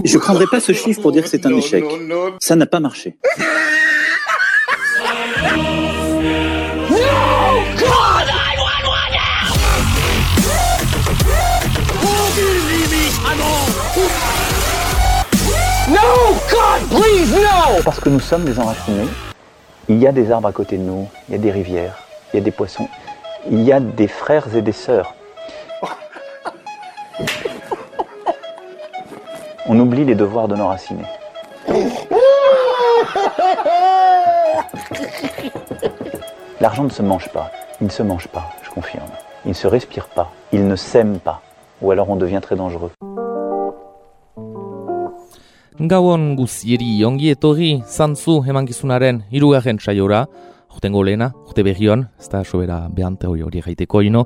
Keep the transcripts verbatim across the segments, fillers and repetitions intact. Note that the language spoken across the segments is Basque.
Je ne prendrai pas ce chiffre pour dire que c'est un échec. Ça n'a pas marché. No, God, please, no! Parce que nous sommes des enracinés. Il y a des arbres à côté de nous, il y a des rivières, il y a des poissons, il y a des frères et des sœurs. On oublie les devoirs de nos racinés. L'argent ne se mange pas, il ne se mange pas, je confirme. Il ne se respire pas, il ne s'aime pas, ou alors on devient très dangereux. Gauon guzieri ongi etorri zantzu emankizunaren hirugarren saiora, jotengo lehena, jote berrion, ez da sobera behante hori hori gaiteko ino,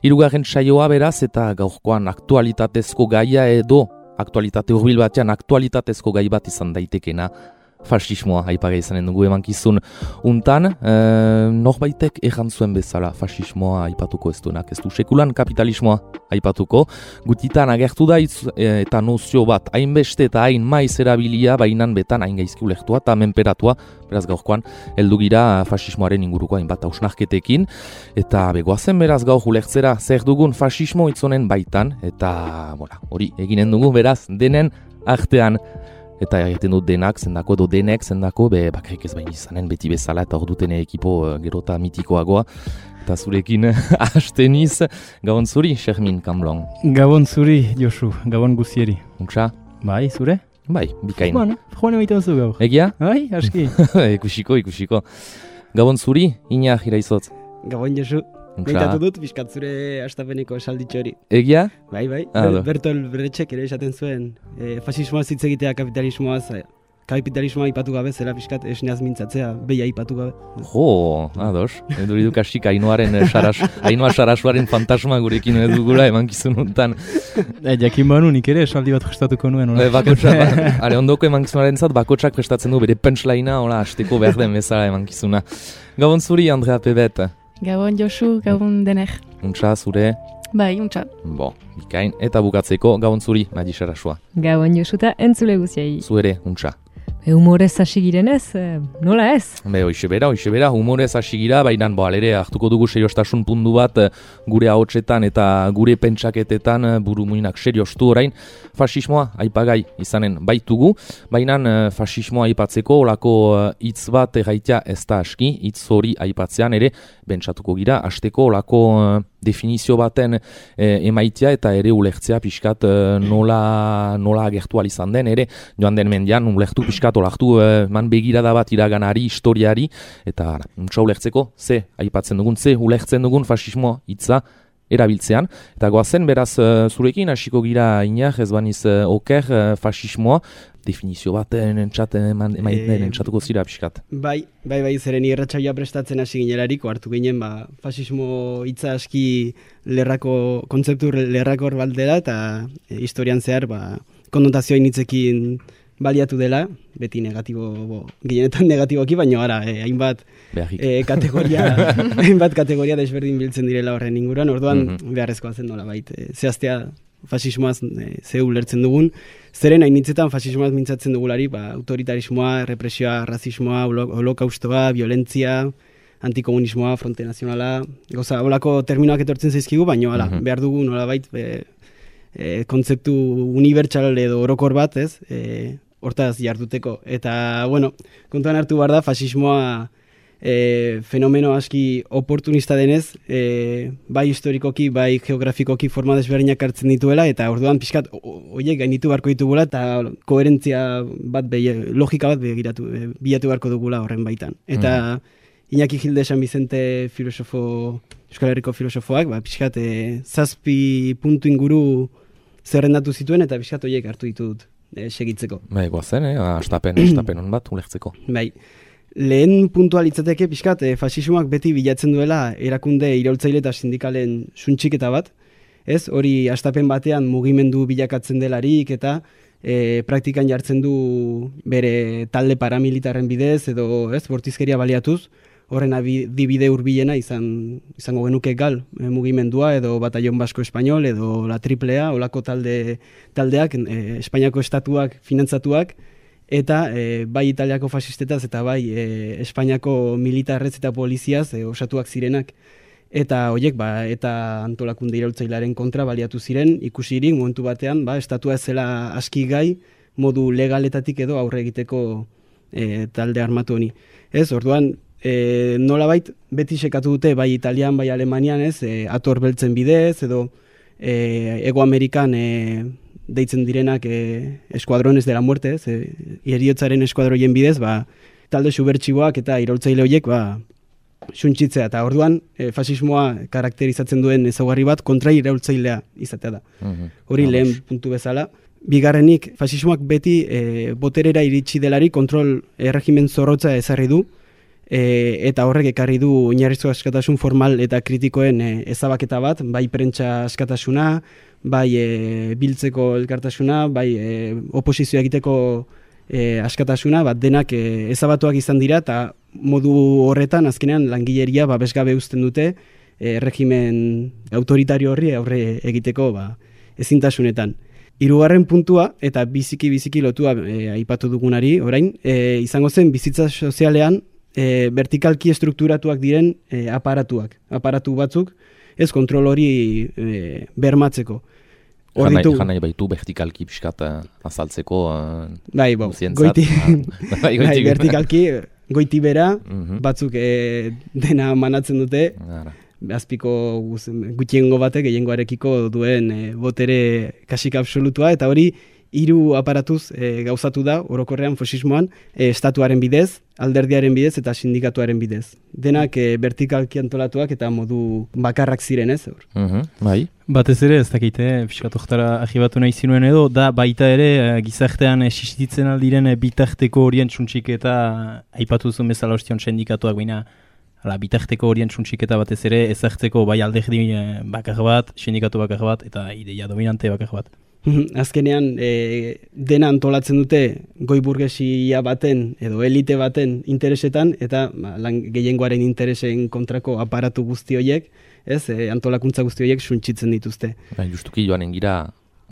hirugarren saioa beraz eta gaurkoan aktualitatezko gaia edo aktualitate hurbil batean aktualitatezko gai bat izan daitekena, fasismoa aipagai izanen dugu emankizun untan, e, norbaitek erran zuen bezala fasismoa aipatuko ez duenak, ez du sekulan kapitalismoa aipatuko, gutitan agertu da itz, e, eta nozio bat hainbeste eta hain maiz erabilia bainan betan hain gaizki ulektua eta menperatua, beraz gaurkoan heldu gira fasismoaren inguruko hainbat hausnarketekin, eta begoazen beraz gaur ulertzera zer dugun fasismo itzonen baitan, eta voilà, hori eginen dugu beraz denen artean. Eta egiten dut denak, zendako edo denek, zendako, be, bakarrik ez bain izanen beti bezala, eta hor duten ekipo uh, gerota mitikoagoa. Eta zurekin hasteniz, gabon zuri, Xermin Kamblon. Gabon zuri, Josu, gabon guzieri. Untsa? Bai, zure? Bai, bikain. Bueno, joan emaiten zu gaur. Egia? Bai, aski. ikusiko, ikusiko. Gabon zuri, ina jiraizot. Gabon Josu. Gaitatu dut, bizkat zure astapeneko esalditxo hori. Egia? Bai, bai. Ah, Ber, Bertol Brechtek ere esaten zuen, e, fasismoaz hitz egitea kapitalismoaz, kapitalismoa ipatu gabe, zela bizkat esneaz mintzatzea, behia ipatu gabe. Jo, ados. Eduri dukasik Ainoaren saras, Ainoa sarasuaren fantasma gurekin edugula emankizun untan. E, jakin banu nik ere esaldi bat prestatuko nuen. E, bakotsa, ba, ale ondoko emankizunaren zat, bakotsak prestatzen du bere punchline-a, hola, hasteko behar den bezala emankizuna. Gabon zuri, Andrea Pebet. Gabon Josu, gabon dener. Untsa, zure? Bai, untsa. Bo, bikain. Eta bukatzeko, gabon zuri, Madi Sarasua. Gabon Josu eta entzule guziai. Zuere, untsa. Humorez hasi girenez, nola ez? Be, hoxe bera, hoxe bera, humorez hasi gira, baina bo, alere, hartuko dugu seriostasun puntu bat gure ahotsetan eta gure pentsaketetan buru muinak seriostu orain. Fasismoa aipagai izanen baitugu, baina fasismoa aipatzeko olako hitz bat erraitea ez da aski, hitz hori aipatzean ere, bentsatuko gira, hasteko olako definizio baten e, emaitia eta ere ulertzea pixkat e, nola, nola agertu izan den, ere joan den mendian ulertu pixkat olaktu e, man begirada bat iraganari, historiari, eta untsa ulertzeko, ze aipatzen dugun, ze ulertzen dugun fasismoa hitza erabiltzean, eta goazen beraz zurekin hasiko gira inak ez baniz oker fasismoa, definizio bat emaiten entzatuko zira pixkat. Bai, bai, bai, zeren irratsaioa prestatzen hasi ginelariko hartu ginen, ba, fasismo hitza aski lerrako, kontzeptu lerrakor bat dela, eta e, historian zehar, ba, konnotazioa initzekin baliatu dela, beti negatibo, bo, gehienetan negatiboki, baina gara, eh, hainbat eh, kategoria, hainbat kategoria desberdin biltzen direla horren inguruan, orduan mm-hmm. beharrezkoa zen nola bait, eh, zehaztea fasismoaz eh, ze ulertzen dugun, zeren hainitzetan fasismoaz mintzatzen dugulari, ba, autoritarismoa, represioa, rasismoa, holokaustoa, violentzia, antikomunismoa, fronte nazionala, goza, holako terminoak etortzen zaizkigu, baina hala, mm-hmm. behar dugu nola bait, eh, eh, kontzeptu unibertsal edo orokor bat, ez, eh, hortaz jarduteko. Eta, bueno, kontuan hartu behar da, fasismoa e, fenomeno aski oportunista denez, e, bai historikoki, bai geografikoki forma desberdinak hartzen dituela, eta orduan pixkat horiek gainitu beharko ditugula, eta koherentzia bat, be, logika bat begiratu, e, bilatu beharko dugula horren baitan. Eta mm. Iñaki Gilde San Vicente filosofo, Euskal Herriko filosofoak, ba, pixkat e, zazpi puntu inguru zerrendatu zituen, eta pixkat horiek hartu ditut. E, segitzeko. Bai, goazen, eh? astapen, astapen hon bat, ulertzeko. Bai, lehen puntualitzateke pixkat, e, fasismoak beti bilatzen duela erakunde iraultzaile eta sindikalen suntxiketa bat, ez? Hori astapen batean mugimendu bilakatzen delarik eta e, praktikan jartzen du bere talde paramilitarren bidez edo ez, bortizkeria baliatuz, horren adibide hurbilena izan izango genuke gal e, mugimendua edo Batallon Basko Espainol edo La Triplea, olako talde taldeak e, Espainiako estatuak finantzatuak eta e, bai Italiako fasistetaz eta bai e, Espainiako militarrez eta poliziaz e, osatuak zirenak. Eta horiek ba, eta antolakunde iraultzailearen kontra baliatu ziren, ikusirik momentu batean ba, estatua ez zela aski gai modu legaletatik edo aurre egiteko e, talde armatu honi. Ez, orduan, e, nolabait beti sekatu dute bai Italian, bai Alemanian, ez, e, ator beltzen bidez, edo e, Ego Amerikan e, deitzen direnak e, eskuadrones de la muerte, ez, e, heriotzaren eskuadroien bidez, ba, talde subertsiboak eta iraultzaile horiek, ba, suntzitzea, eta orduan e, fasismoa karakterizatzen duen ezaugarri bat kontra iraultzailea izatea da. Hori lehen puntu bezala. Bigarrenik, fasismoak beti e, boterera iritsi delari kontrol erregimen zorrotza ezarri du, e, eta horrek ekarri du oinarrizko askatasun formal eta kritikoen e, ezabaketa bat, bai prentsa askatasuna, bai e, biltzeko elkartasuna, bai e, oposizioa egiteko e, askatasuna, bat denak e, ezabatuak izan dira, eta modu horretan azkenean langileria babesgabe uzten dute e, regimen autoritario horri aurre egiteko ba, ezintasunetan. Hirugarren puntua, eta biziki-biziki lotua e, aipatu dugunari, orain, e, izango zen bizitza sozialean e, vertikalki estrukturatuak diren e, aparatuak. Aparatu batzuk, ez kontrol hori e, bermatzeko. Jan nahi baitu vertikalki pixkat azaltzeko uh, bai, bo, goiti, bai, bai, vertikalki goiti bera, uh-huh. batzuk e, dena manatzen dute, Ara. azpiko gutxiengo batek gehiengoarekiko duen e, botere kasik absolutua, eta hori hiru aparatuz e, gauzatu da orokorrean fasismoan e, estatuaren bidez, alderdiaren bidez eta sindikatuaren bidez. Denak e, vertikalki antolatuak eta modu bakarrak ziren ez. Uh-huh, bai. Batez ere, ez dakite, fiskatoktara ahibatu nahi zinuen edo, da baita ere gizartean existitzen aldiren bitarteko horien txuntsik eta aipatu zuen bezala ostion sindikatuak baina ala, bitarteko horien txuntsik eta batez ere ezartzeko bai alderdi bakar bat, sindikatu bakar bat eta ideia dominante bakar bat. Azkenean, e, dena antolatzen dute goi burgesia baten edo elite baten interesetan eta ba, lan gehiengoaren interesen kontrako aparatu guzti horiek, ez, e, antolakuntza guzti horiek suntsitzen dituzte. Ba, justuki joanen gira,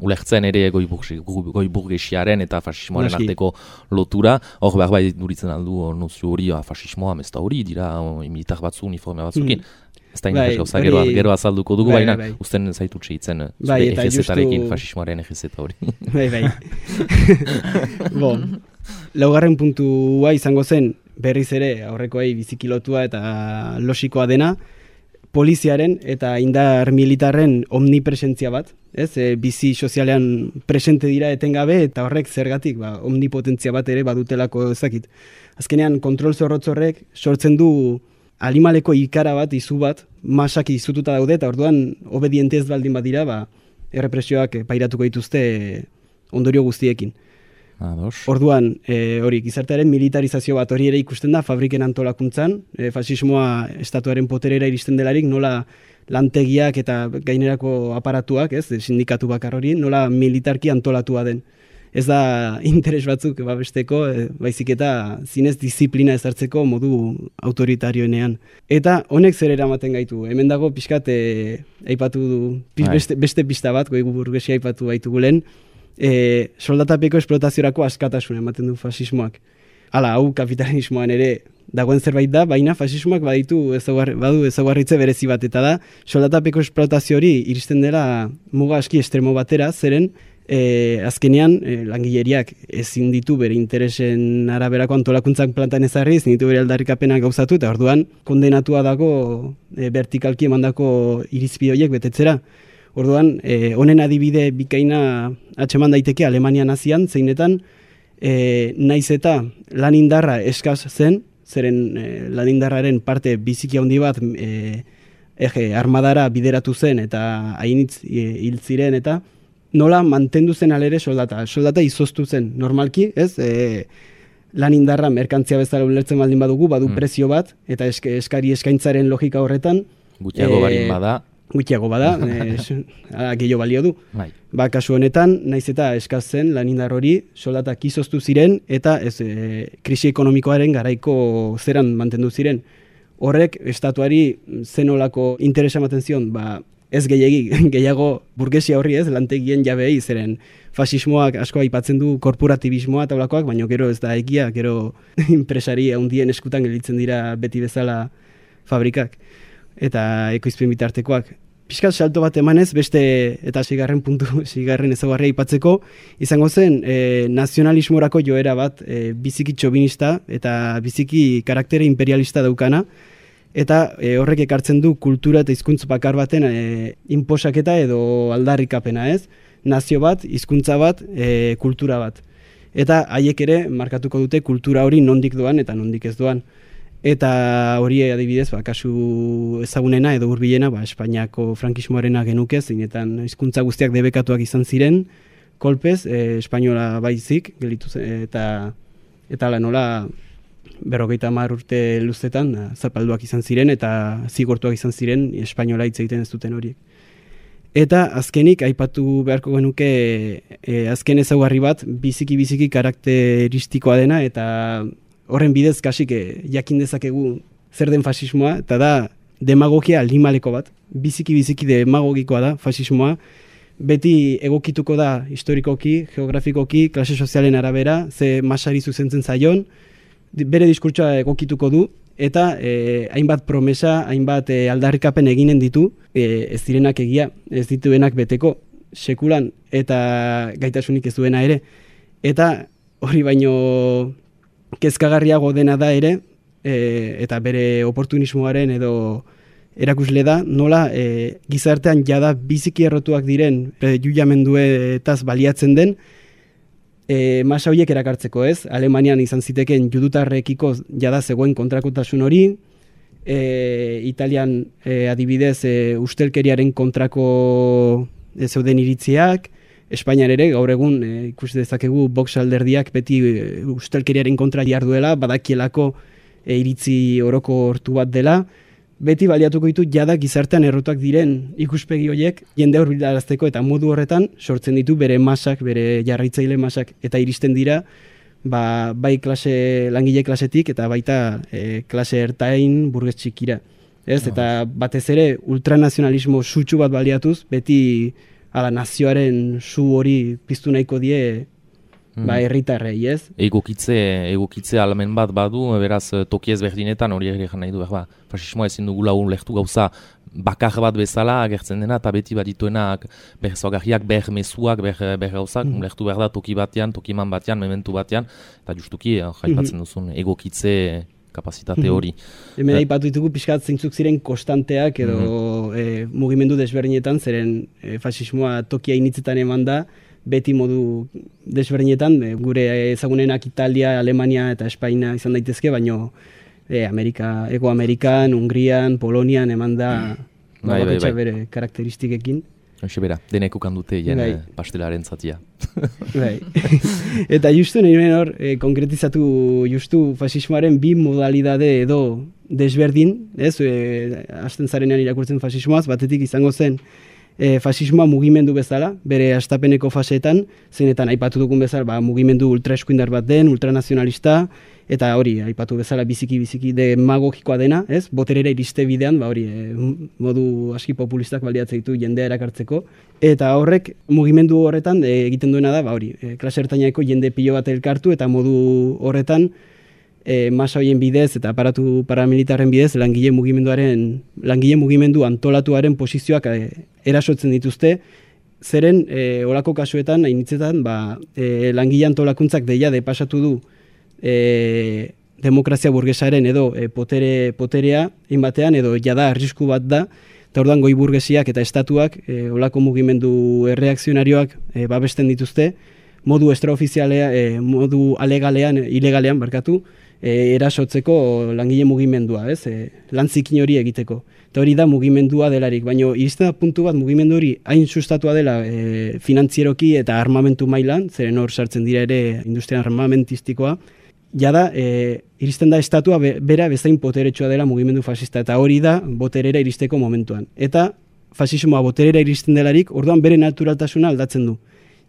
ulertzen ere goi, burgesi, goi burgesiaren eta fasismoaren Naski. arteko lotura, hor behar bai duritzen aldu nozio hori, fasismoa, mezta hori, dira militar batzu, uniforme batzukin. Hmm. Ez da bai, gauza, gero, gero azalduko dugu, bai, baina bai. Usten zaitu txeitzen bai, zure egezetarekin, fasismoaren egezeta hori. Bai, bai. Bo, laugarren puntua izango zen, berriz ere aurrekoei bizikilotua eta logikoa dena, poliziaren eta indar militarren omnipresentzia bat, ez? E, bizi sozialean presente dira etengabe eta horrek zergatik, ba, omnipotentzia bat ere badutelako ezakit. Azkenean, kontrol zorrotz horrek sortzen du animaleko ikara bat, izu bat, masak izututa daude, eta orduan obediente ez baldin badira, ba, errepresioak pairatuko dituzte ondorio guztiekin. Ados. Orduan, e, hori, gizartearen militarizazio bat hori ere ikusten da fabriken antolakuntzan, e, fasismoa estatuaren poterera iristen delarik, nola lantegiak eta gainerako aparatuak, ez, sindikatu bakar hori, nola militarki antolatua den. Ez da interes batzuk babesteko, e, baizik eta zinez disiplina ezartzeko modu autoritarioenean. Eta honek zer eramaten gaitu. Hemen dago pixkat e, aipatu du, beste, beste pista bat, goi burgesia aipatu baitu gulen, e, soldatapeko esplotaziorako askatasuna ematen du fasismoak. Hala, hau kapitalismoan ere dagoen zerbait da, baina fasismoak baditu ezaguar, badu ezaugarritze berezi bat, eta da soldatapeko esplotazio hori iristen dela muga aski estremo batera, zeren E, azkenean e, langileriak ezin ditu bere interesen araberako antolakuntzak plantan ezarri, ezin ditu bere aldarrikapenak gauzatu, eta orduan kondenatua dago e, vertikalki emandako irizpide horiek betetzera. Orduan, e, honen adibide bikaina atxeman daiteke Alemania nazian, zeinetan e, naiz eta lan indarra eskaz zen, zeren e, lan indarraren parte biziki handi bat e, ege, armadara bideratu zen eta hainitz e, hil ziren eta nola mantendu zen alere soldata. Soldata izoztu zen, normalki, ez? E, lan indarra merkantzia bezala ulertzen baldin badugu, badu mm. prezio bat, eta eske, eskari eskaintzaren logika horretan. Gutxiago e, barin bada. Gutxiago bada, e, gehiago balio du. Bai. Ba, kasu honetan, naiz eta eskaz zen lan indar hori, soldatak izoztu ziren, eta ez, e, krisi ekonomikoaren garaiko zeran mantendu ziren. horrek estatuari zenolako interesa ematen zion, ba, ez gehiagi, gehiago burgesia horri ez, lantegien jabeei, zeren fasismoak asko aipatzen du korporatibismoa eta olakoak, baina gero ez da egia, gero enpresari handien eskutan gelditzen dira beti bezala fabrikak eta ekoizpen bitartekoak. Piskat salto bat emanez, beste eta sigarren puntu, sigarren ezaugarria aipatzeko, izango zen e, nazionalismorako joera bat e, biziki txobinista eta biziki karaktere imperialista daukana, eta e, horrek ekartzen du kultura eta hizkuntz bakar baten e, inposaketa edo aldarrikapena, ez? Nazio bat, hizkuntza bat, e, kultura bat. Eta haiek ere markatuko dute kultura hori nondik doan eta nondik ez doan. Eta hori adibidez, ba, kasu ezagunena edo hurbilena, ba, Espainiako frankismoarena genuke, zeinetan hizkuntza guztiak debekatuak izan ziren, kolpez, e, espainola baizik, gelitu zen, eta eta la nola berrogeita hamar urte luzetan zapalduak izan ziren eta zigortuak izan ziren espainola hitz egiten ez duten horiek. Eta azkenik aipatu beharko genuke e, azken ezaugarri bat biziki-biziki karakteristikoa dena eta horren bidez kasik e, jakin dezakegu zer den fasismoa, eta da demagogia aldimaleko bat, biziki-biziki demagogikoa da fasismoa, beti egokituko da historikoki, geografikoki, klase sozialen arabera, ze masari zuzentzen zaion, bere diskurtsoa egokituko du, eta e, hainbat promesa, hainbat e, aldarrikapen eginen ditu, e, ez direnak egia, ez dituenak beteko, sekulan, eta gaitasunik ez duena ere. Eta hori baino kezkagarriago dena da ere, e, eta bere oportunismoaren edo erakusle da, nola e, gizartean jada biziki errotuak diren prejudikamenduetaz baliatzen den, e, masa horiek erakartzeko, ez? Alemanian izan ziteken judutarrekiko jada zegoen kontrakotasun hori, e, Italian e, adibidez e, ustelkeriaren kontrako e, zeuden iritziak, Espainian ere, gaur egun, e, ikus dezakegu Vox alderdiak beti e, ustelkeriaren kontra jarduela, badakielako e, iritzi oroko hortu bat dela, beti baliatuko ditu jada gizartean errotuak diren ikuspegi horiek jende hurbilarazteko eta modu horretan sortzen ditu bere masak, bere jarraitzaile masak, eta iristen dira ba, bai klase, langile klasetik eta baita e, klase ertain burges txikira. Ez? Oh. Eta batez ere ultranazionalismo sutsu bat baliatuz, beti ala nazioaren su hori piztu nahiko die mm. ba, herritarrei, ez? Egokitze, egokitze almen bat badu, beraz toki ezberdinetan hori ere nahi du, ba, fasismoa ezin dugula lehtu gauza bakar bat bezala agertzen dena, eta beti bat dituenak berzogarriak, ber mezuak, ber, ber gauzak, mm. lehtu behar da toki batean, tokiman batean, mementu batean, eta justuki, jaipatzen mm-hmm. duzun, egokitze kapazitate hori. Mm-hmm. Hemen aipatu ditugu pixkat zeintzuk ziren kostanteak edo mm-hmm. e, mugimendu desberdinetan, zeren e, fasismoa tokia initzetan eman da, beti modu desberdinetan, e, gure ezagunenak Italia, Alemania eta Espainia izan daitezke, baino e, Amerika, Ego Amerikan, Hungrian, Polonian eman da mm. bai, bai, bai. Bere karakteristikekin. Hoxe bera, denek ukan dute jen bai. Pastelaren zatia. Bai. Eta justu nahi hor, e, konkretizatu justu fasismoaren bi modalidade edo desberdin, ez, e, hasten zarenean irakurtzen fasismoaz, batetik izango zen e, fasismoa mugimendu bezala, bere hastapeneko faseetan, zeinetan aipatu dugun bezala, ba, mugimendu ultraeskuindar bat den, ultranazionalista, eta hori, aipatu bezala biziki-biziki demagogikoa dena, ez? Boterera iriste bidean, ba hori, e, modu aski populistak baliatzen ditu jendea erakartzeko. Eta horrek, mugimendu horretan e, egiten duena da, ba hori, e, klase ertainako jende pilo bat elkartu, eta modu horretan, e, masa horien bidez eta aparatu paramilitarren bidez, langile mugimenduaren, langile mugimendu antolatuaren posizioak e, erasotzen dituzte, zeren, e, olako kasuetan, hainitzetan, ba, e, langile antolakuntzak deia depasatu du, E, demokrazia burgesaren edo e, potere, poterea inbatean edo jada arrisku bat da, eta orduan goi burgesiak eta estatuak e, olako mugimendu erreakzionarioak e, babesten dituzte, modu extraofizialea, e, modu alegalean, ilegalean barkatu, e, erasotzeko langile mugimendua, ez? E, lantzikin hori egiteko. Eta hori da mugimendua delarik, baina iristen da puntu bat mugimendu hori hain sustatua dela e, finantzieroki eta armamentu mailan, zeren hor sartzen dira ere industria armamentistikoa, jada, e, iristen da estatua be, bera bezain poteretsua dela mugimendu fasista, eta hori da boterera iristeko momentuan. Eta fasismoa boterera iristen delarik, orduan bere naturaltasuna aldatzen du.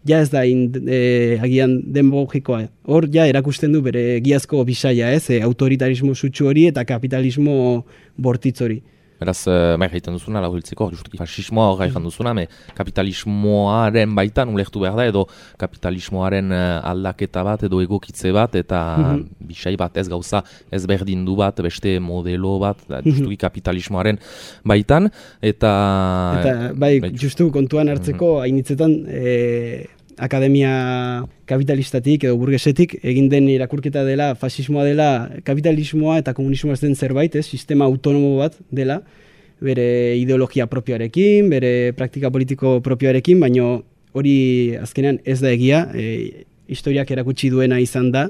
ja ez da in, e, agian demagogikoa. Hor ja erakusten du bere egiazko bisaia, ez, e, autoritarismo sutsu hori eta kapitalismo bortitz hori. Beraz, uh, bai gaiten duzuna, lau hiltzeko, justuki fasismoa hor gaiten duzuna, me kapitalismoaren baitan ulertu behar da, edo kapitalismoaren uh, aldaketa bat, edo egokitze bat, eta mm-hmm. bisai bat ez gauza, ez berdindu bat, beste modelo bat, justuki mm-hmm. kapitalismoaren baitan, eta... Eta, bai, bai justu kontuan hartzeko, mm-hmm. hainitzetan, e, akademia kapitalistatik edo burgesetik egin den irakurketa dela, fasismoa dela, kapitalismoa eta komunismoa ez den zerbait, ez, sistema autonomo bat dela, bere ideologia propioarekin, bere praktika politiko propioarekin, baino hori azkenean ez da egia, e, historiak erakutsi duena izan da,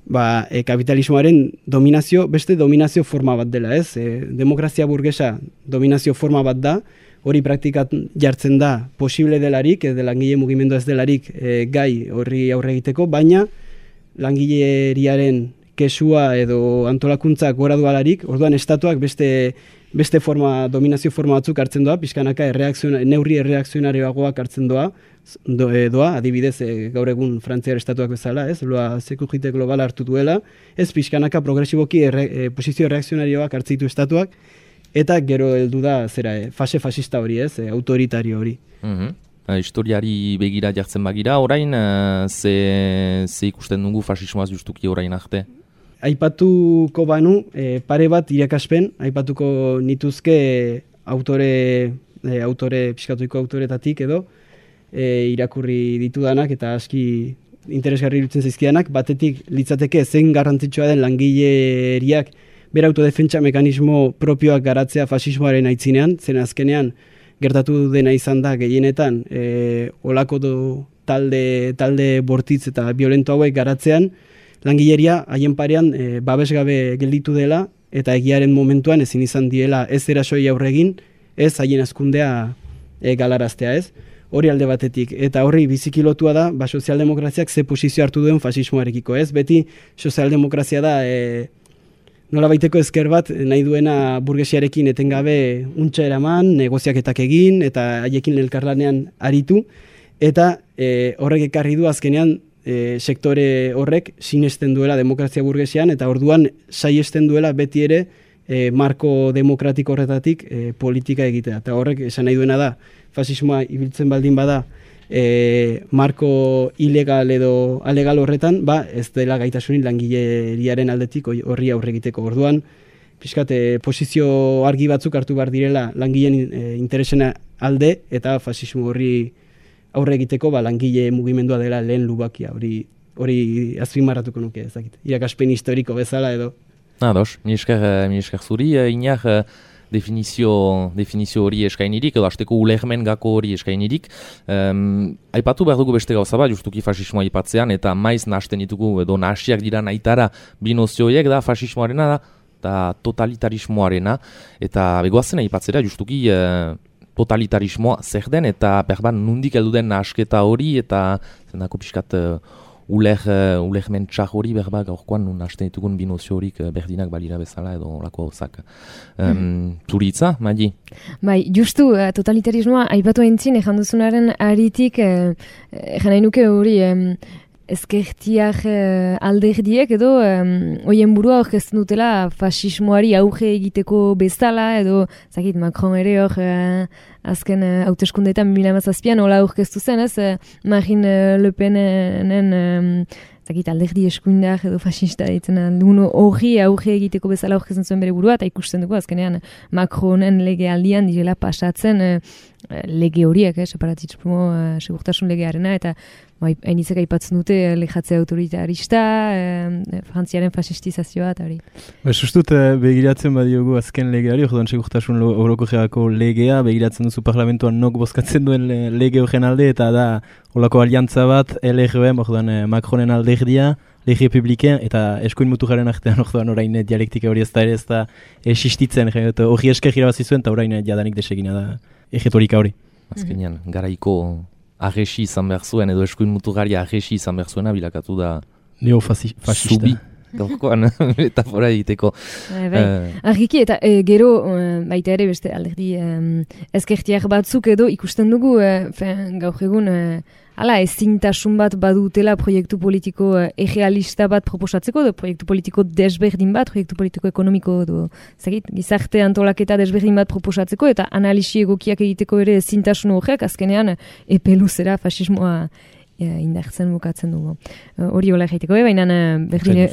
ba, e, kapitalismoaren dominazio, beste dominazio forma bat dela, ez, e, demokrazia burgesa dominazio forma bat da, hori praktikat jartzen da posible delarik, edo langile mugimendu ez delarik e, gai horri aurre egiteko, baina langileriaren kesua edo antolakuntzak gora dualarik, orduan estatuak beste, beste forma, dominazio forma batzuk hartzen doa, pixkanaka neurri erreakzionarioagoak hartzen doa, do, e, doa adibidez e, gaur egun Frantziar estatuak bezala, ez, loa sekujite globala hartu duela, ez pixkanaka progresiboki erre, e, posizio erreakzionarioak hartzitu estatuak, eta gero heldu da zera, e, fase fasista hori, ez, e, autoritario hori. Mm-hmm. Uh, historiari begira jartzen bagira, orain, uh, ze, ze ikusten dugu fasismoaz justuki orain arte? Aipatuko banu, e, pare bat irakaspen, aipatuko nituzke autore, e, autore, pixkatuiko autoretatik edo, e, irakurri ditudanak eta aski interesgarri iruditzen zaizkidanak, batetik litzateke zen garrantzitsua den langileriak bera autodefentsa mekanismo propioak garatzea fasismoaren aitzinean, zen azkenean gertatu dena izan da gehienetan e, olako do, talde, talde bortitz eta violento hauek garatzean, langileria haien parean e, babesgabe gelditu dela eta egiaren momentuan ezin izan diela ez erasoi aurregin, ez haien azkundea e, galaraztea, ez? Hori alde batetik, eta horri bizikilotua da, ba, sozialdemokraziak ze posizio hartu duen fasismoarekiko, ez? Beti sozialdemokrazia da e, nola baiteko ezker bat nahi duena burgesiarekin etengabe untxa eraman, negoziaketak egin eta haiekin elkarlanean aritu, eta e, horrek ekarri du azkenean e, sektore horrek sinesten duela demokrazia burgesian, eta orduan saiesten duela beti ere e, marko demokratiko horretatik e, politika egitea. Eta horrek esan nahi duena da, fasismoa ibiltzen baldin bada, E, marko ilegal edo alegal horretan, ba, ez dela gaitasunin langileriaren aldetik horri aurre egiteko. Orduan, pixkat, e, posizio argi batzuk hartu behar direla langileen e, interesena alde eta fasismo horri aurre egiteko ba, langile mugimendua dela lehen lubakia. Hori, hori azpimarratuko nuke ezakit. Irakaspen historiko bezala edo. Ados, mi esker, mi esker zuri, inak definizio, definizio hori eskainirik, edo hasteko ulermen gako hori eskainirik. Um, aipatu behar dugu beste gauza bat, justuki fasismoa aipatzean, eta maiz nahasten ditugu, edo nahasiak dira nahitara bi nozioiek da fasismoarena da, eta totalitarismoarena, eta begoazen aipatzera justuki uh, totalitarismoa zer den, eta berban nundik heldu den nahasketa hori, eta zendako pixkat uh, uler, uh, ulermen txar hori berba gaurkoan nun hasten ditugun binozio horik uh, berdinak balira bezala edo olako gauzak. Um, mm. Zuritza, Madi? Bai, justu uh, totalitarismoa aipatu aintzin ejan duzunaren aritik uh, ejan nahi nuke hori um, ezkertiak uh, alderdiek edo um, oien burua orkesten dutela fasismoari auge egiteko bezala edo zakit Macron ere hor uh, azken uh, hauteskundeetan bi mila hamazazpian hola aurkeztu zen, ez? Uh, Marine uh, Le Penen um, zakit alderdi eskuindar edo fascista ditzen dugu hori auge egiteko bezala aurkezten zuen bere burua, eta ikusten dugu azkenean Macronen lege aldian direla pasatzen uh, lege horiek, eh, separatismo uh, segurtasun legearena, eta hainitzek aipatzen dute lejatze autoritarista, eh, frantziaren fasistizazioa, eta hori. Ba, sustut, eh, begiratzen badiogu azken legeari, orduan segurtasun orokorreko legea, begiratzen duzu parlamentuan nok bozkatzen duen lege horren alde, eta da holako aliantza bat, L R B, orduan eh, Macronen alderdia, lege publiken, eta eskuin muturaren artean orduan orain dialektika hori ez da ere ez da existitzen, hori esker irabazi zuen, eta orain jadanik desegina da egetorika hori. Azkenean, garaiko agesi izan behar zuen, edo eskuin muturgaria agesi izan behar zuena, bilakatu da neofascista. Zubi, gaurkoan metafora egiteko. Bai, bai. Uh, Argiki, eta e, gero, uh, baita ere beste alderdi um, ezkertiak batzuk edo ikusten dugu, uh, fen, gaur egun, uh, hala, ezintasun bat badutela proiektu politiko uh, egealista bat proposatzeko, edo proiektu politiko desberdin bat, proiektu politiko ekonomiko, edo, zagit, gizarte antolaketa desberdin bat proposatzeko, eta analisi egokiak egiteko ere ezintasun horrek, azkenean, epe luzera fasismoa Ja, indartzen bukatzen dugu. Hori uh, hola egiteko, eh? Baina berdin,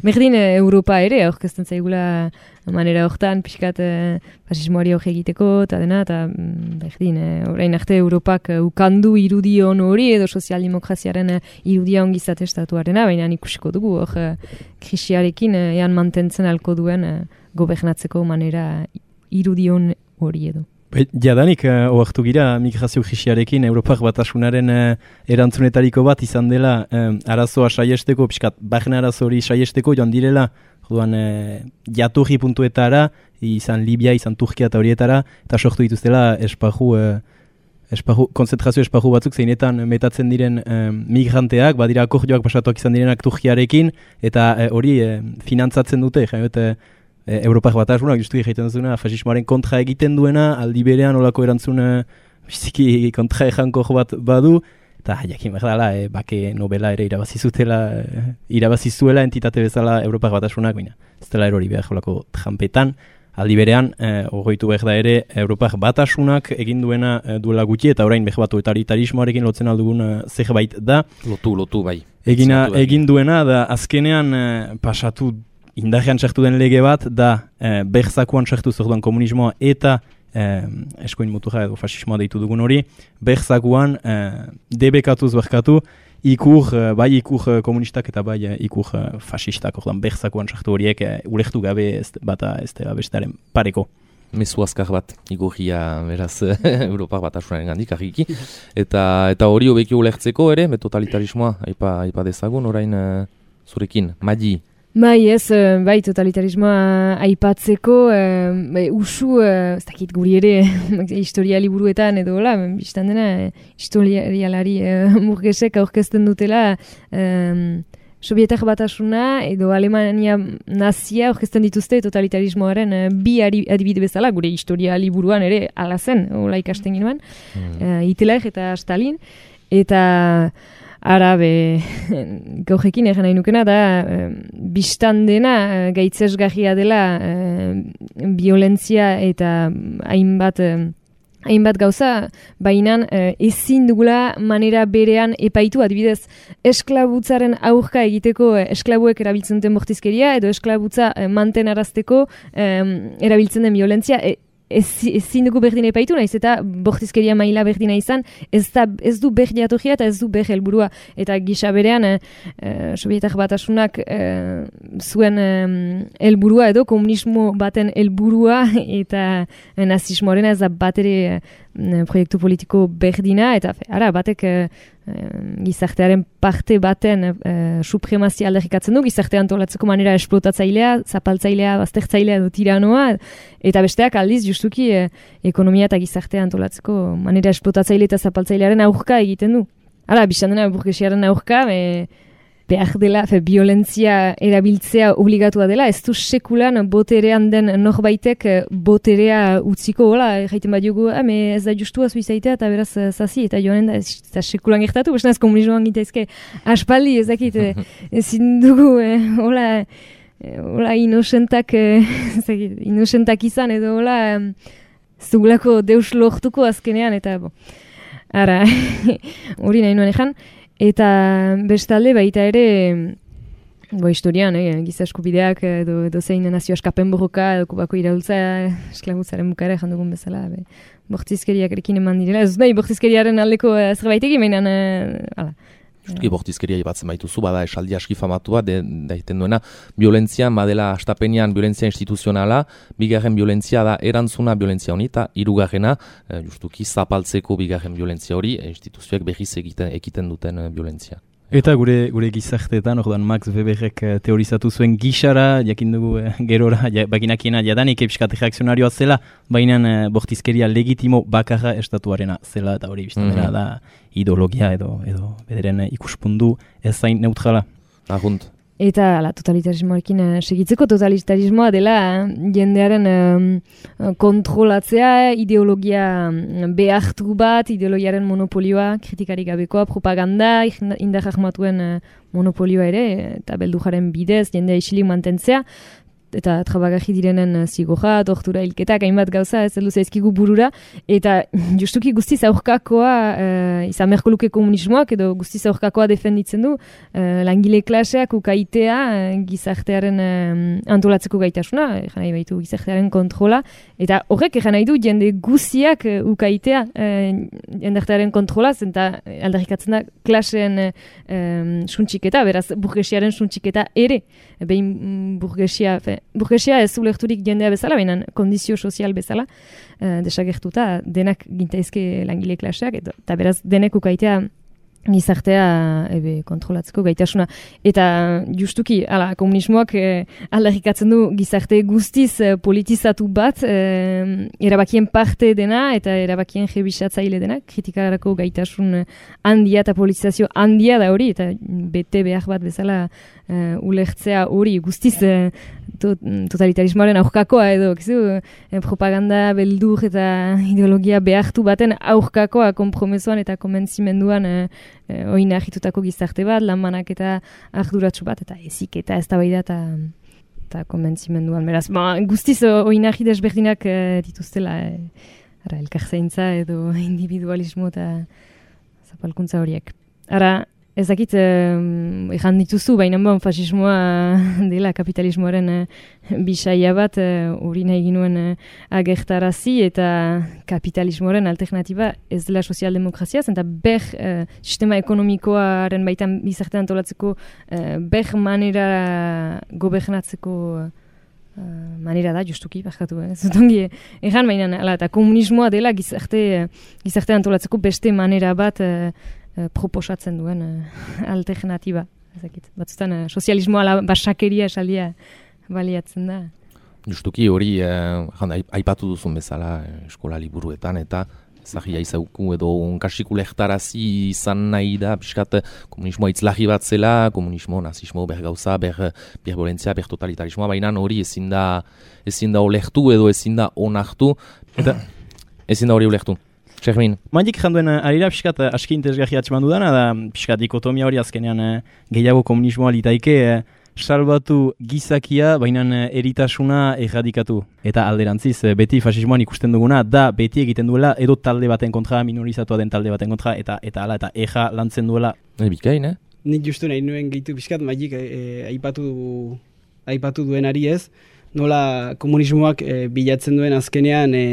berdin Europa ere, aurkezten zaigula manera hortan, pixkat uh, fasismoari hori egiteko, eta dena, eta berdin, uh, orain arte Europak uh, ukandu irudion hori, edo sozialdemokraziaren uh, irudia ongizate estatuarena, baina ikusiko dugu, hor uh, krisiarekin uh, ean mantentzen alko duen uh, gobernatzeko manera irudion hori edo. Jadanik, uh, oartu gira, migrazio krisiarekin Europak Batasunaren uh, erantzunetariko bat izan dela um, arazoa saiesteko, pixkat, bajen arazo hori saiesteko, joan direla, joan uh, jaturri puntuetara, izan Libia, izan Turkia eta horietara, eta sortu dituztela esparru, uh, esparru, konzentrazio esparru batzuk zeinetan metatzen diren um, migranteak, badira akordioak pasatuak izan direnak Turkiarekin, eta uh, hori uh, finantzatzen dute, jaiote, E, Europak Batasunak justu egiten duzuna, fasismoaren kontra egiten duena, aldi berean olako erantzun biziki kontra ejankor bat badu, eta jakin behar dela, e, bake nobela ere irabazizutela, e, irabazizuela entitate bezala Europak Batasunak, baina ez dela erori behar olako trampetan, aldi berean, e, ogoitu behar da ere, Europak Batasunak egin duena e, duela gutxi, eta orain behar bat totalitarismoarekin lotzen aldugun e, zerbait da. Lotu, lotu, bai. Egina, egin duena, da azkenean e, pasatu indarrean sartu den lege bat, da eh, berzakuan sartu zorduan komunismoa eta eh, eskoin muturra edo fasismoa deitu dugun hori, berzakuan eh, debekatuz berkatu, ikur, eh, bai ikur komunistak eta bai eh, ikur eh, fasistak, orduan berzakuan sartu horiek eh, ulektu gabe ez bata ez da bestaren pareko. Mezu azkar bat, igorria beraz Europak Batasunaren gandik argiki. Eta eta hori hobeki ulertzeko ere, totalitarismoa, aipa, aipa dezagun, orain uh, zurekin, Madi. Bai, ez, bai, totalitarismoa aipatzeko, bai, usu, ez dakit guri ere, historia liburuetan edo, hola, biztan dena, historialari murgesek aurkezten dutela, um, Sobietar Batasuna edo Alemania nazia aurkezten dituzte totalitarismoaren uh, bi adibide bezala, gure historia liburuan ere ala zen, hola ikasten ginoan, mm. uh, Hitler eta Stalin, eta arabe gaujekin egin nahi nukena da uh, biztan dena uh, gaitzesgarria dela uh, violentzia eta hainbat uh, hainbat gauza, baina uh, ezin dugula manera berean epaitu, adibidez esklabutzaren aurka egiteko uh, esklabuek erabiltzen duten bortizkeria edo esklabutza uh, mantenarazteko um, erabiltzen den violentzia, e, ezin dugu berdin epaitu, naiz eta bortizkeria maila berdina izan, ez, da, ez du ber jatorria eta ez du ber helburua. Eta gisa berean, eh, eh, Sobietar Batasunak eh, zuen helburua edo komunismo baten helburua eta eh, nazismoaren ez da bat ere eh, proiektu politiko berdina, eta fe, ara, batek eh, gizartearen parte baten eh, supremazia aldarrikatzen du, gizartea antolatzeko manera esplotatzailea, zapaltzailea, baztertzailea edo tiranoa, eta besteak aldiz justuki eh, ekonomia eta gizartea antolatzeko manera esplotatzaile eta zapaltzailearen aurka egiten du. Hala, bizan dena burgesiaren aurka, e, behar dela, fe, violentzia erabiltzea obligatua dela, ez du sekulan boterean den norbaitek boterea utziko, hola, jaiten bat jogu, ez da justua zuizaitea eta beraz zazi, eta joanen da, ez da sekulan gertatu, besta ez komunismoan gitaizke aspaldi, ez dakit, ezin dugu, eh, hola, hola, inosentak, eh, inosentak izan, edo hola, ez dugulako deus lortuko azkenean, eta, bo, ara, hori nahi nuen ezan. Eta bestalde baita ere, bo historian, eh, giza eskubideak edo, edo zein nazio askapen borroka, edo kubako iraultza esklabutzaren bukara ezan dugun bezala, be, bortizkeriak erekin eman direla. Ez nahi, bortizkeriaren aldeko eh, zerbaitek imenan, eh, ala. Justuki bortizkeria ibatzen baituzu, bada esaldi aski famatua, daiten duena, violentzia, badela astapenean violentzia instituzionala, bigarren violentzia da erantzuna violentzia honi, eta hirugarrena, justuki zapaltzeko bigarren violentzia hori, instituzioak berriz egiten, ekiten duten violentzia. Eta gure gure gizarteetan, orduan Max Weberrek teorizatu zuen gixara, jakin dugu eh, gerora, ja, bakinakiena jadanik epskat reakzionarioa zela, baina eh, bortizkeria legitimo bakarra estatuarena zela, eta hori bizten dela da ideologia edo edo bederen ikuspundu ez zain neutrala. Agunt, eta ala, totalitarismoarekin uh, segitzeko totalitarismoa dela uh, jendearen um, kontrolatzea, ideologia um, behartu bat, ideologiaren monopolioa, kritikarik gabekoa, propaganda, indar ahmatuen uh, monopolioa ere, eta beldujaren bidez, jendea isilik mantentzea, eta trabagarri direnen zigorra, tortura, hilketak, hainbat gauza, ez heldu zaizkigu burura, eta justuki guztiz aurkakoa, uh, izan beharko luke komunismoak, edo guztiz aurkakoa defenditzen du, uh, langile klaseak ukaitea uh, gizartearen uh, antolatzeko gaitasuna, egan nahi baitu gizartearen kontrola, eta horrek egan nahi du jende guztiak uh, ukaitea uh, jendartearen kontrola, zenta aldarrikatzen da klaseen uh, um, suntxiketa, beraz burgesiaren suntxiketa ere, behin mm, burgesia, fe, burgesia ez ulerturik jendea bezala, baina kondizio sozial bezala, uh, desagertuta denak gintaizke langile klaseak, eta beraz denek ukaitea gizartea ebe, kontrolatzeko gaitasuna. Eta justuki, ala, komunismoak eh, aldarrikatzen du gizarte guztiz eh, politizatu bat, eh, erabakien parte dena eta erabakien jebisatzaile dena, kritikarako gaitasun handia eta politizazio handia da hori, eta bete behar bat bezala eh, ulertzea hori guztiz eh, to, totalitarismoaren aurkakoa edo, kizu, eh, propaganda, beldur eta ideologia behartu baten aurkakoa konpromesoan eta konbentzimenduan eh, E, oina agitutako gizarte bat, lanmanak eta arduratsu bat, eta ezik eta ez da bai da, eta konbentzimenduan. Beraz, ba, guztiz oina agit desberdinak e, dituztela, e, ara, elkarzaintza edo individualismo eta zapalkuntza horiek. Ara, ezakit, um, ejan dituzu, baina bon, fasismoa dela kapitalismoaren uh, bisaia bat, hori uh, nahi ginuen uh, agertarazi, eta kapitalismoaren alternatiba ez dela sozialdemokrazia, zenta ber uh, sistema ekonomikoaren baitan bizartean antolatzeko uh, ber manera gobernatzeko uh, manera da, justuki, barkatu, eh? Zutongi, egan baina, ala, eta komunismoa dela gizarte, gizarte antolatzeko beste manera bat uh, Uh, proposatzen duen uh, alternatiba. Ezakit. Batzutan, uh, sozialismoa basakeria esaldia baliatzen da. Justuki hori, eh, aipatu duzun bezala eskola liburuetan, eta zagia izauku edo unkasiku lehtarazi izan nahi da, piskat komunismoa itzlagi bat zela, komunismo, nazismo, ber gauza, ber, ber bolentzia, ber totalitarismoa, baina hori ezin da, ezin da olehtu edo ezin da onartu, eta ezin da hori olehtu. Txermin. Manik janduen arira pixkat aski interesgarri atxeman dudana, da pixkat dikotomia hori azkenean gehiago komunismoa litaike, salbatu gizakia, baina eritasuna erradikatu. Eta alderantziz, beti fasismoan ikusten duguna, da beti egiten duela edo talde baten kontra, minorizatua den talde baten kontra, eta eta ala, eta eja lantzen duela. E, bikain, eh? Nik justu nahi nuen gehitu pixkat, magik e, aipatu, aipatu duenari ez, nola komunismoak e, bilatzen duen azkenean e,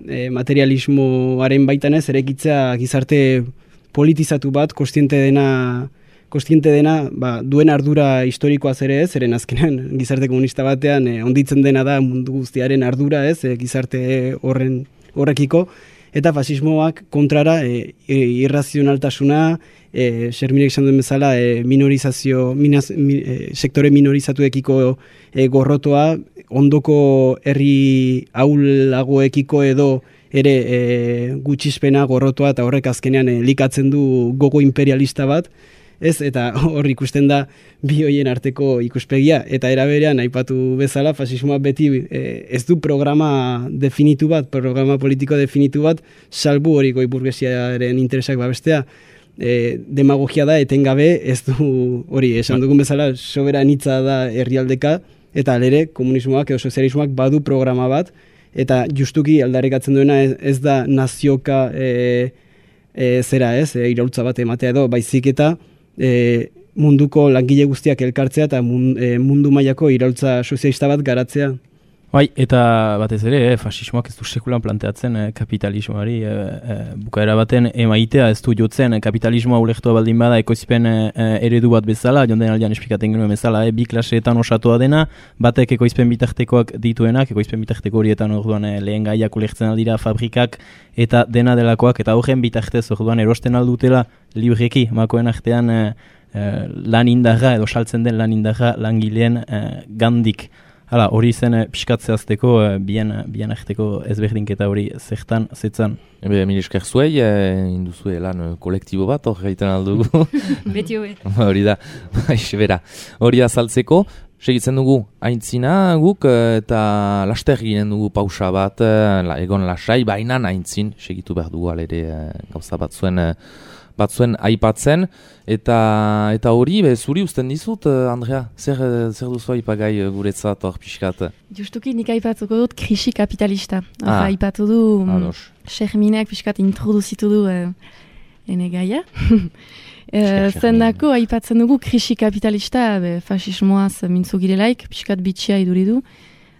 e, materialismoaren baitan ez, erekitzea gizarte politizatu bat, kostiente dena, kostiente dena ba, duen ardura historikoaz ere ez, eren azkenean gizarte komunista batean e, onditzen dena da mundu guztiaren ardura ez, e, gizarte horren horrekiko, eta fasismoak kontrara e, e, irrazionaltasuna, e, Xerminek esan duen bezala, e, minorizazio, minaz, mi, e, sektore minorizatuekiko e, gorrotoa, ondoko herri ahulagoekiko edo ere e, gutxispena gorrotoa, eta horrek azkenean e, likatzen du gogo imperialista bat, ez, eta hor ikusten da bi hoien arteko ikuspegia, eta era berean aipatu bezala fasismoa beti e, ez du programa definitu bat, programa politiko definitu bat, salbu hori goi burgesiaren interesak babestea. E, demagogia da etengabe, ez du hori esan dugun bezala soberanitza da herrialdeka, eta alere komunismoak edo sozialismoak badu programa bat, eta justuki aldarrikatzen duena ez, ez da nazioka e, e, zera ez, e, iraultza bat ematea edo, baizik eta e, munduko langile guztiak elkartzea eta mundu mailako iraultza sozialista bat garatzea. Bai, eta batez ere, eh, fasismoak ez du sekulan planteatzen eh, kapitalismoari eh, eh, bukaera baten emaitea ez du jotzen eh, kapitalismoa ulektua baldin bada ekoizpen eh, eredu bat bezala, jonden aldean esplikaten genuen bezala, eh, bi klaseetan osatua dena, batek ekoizpen bitartekoak dituenak, ekoizpen bitarteko horietan orduan eh, lehen gaiak ulektzen aldira fabrikak eta dena delakoak, eta horren bitartez orduan erosten aldutela libreki, makoen artean eh, eh, lan indarra edo saltzen den lan indarra langileen eh, gandik. Hala, hori zen eh, pixkatzeazteko, eh, bien, bien arteko ezberdinketa hori zertan, zetzan. Ebe, mil esker zuei, eh, induzue lan eh, kolektibo bat, hor gaiten aldugu. Beti hobe. Hori da, baixe bera. Hori azaltzeko, segitzen dugu aintzina guk eh, eta laster ginen dugu pausa bat, eh, la, egon lasai, bainan aintzin, segitu behar dugu alere eh, gauza batzuen, eh, batzuen aipatzen, eta eta hori, be, zuri usten dizut, eh, Andrea, zer, eh, zer duzu aipagai eh, guretzat hor pixkat? Justuki nik aipatuko dut krisi kapitalista. Ah. Aipatu du, Ados. Xerminek pixkat introduzitu du eh, ene gaia. Eh, Zendako aipatzen dugu krisi kapitalista, be, fasismoaz mintzu girelaik, pixkat bitxia iduridu.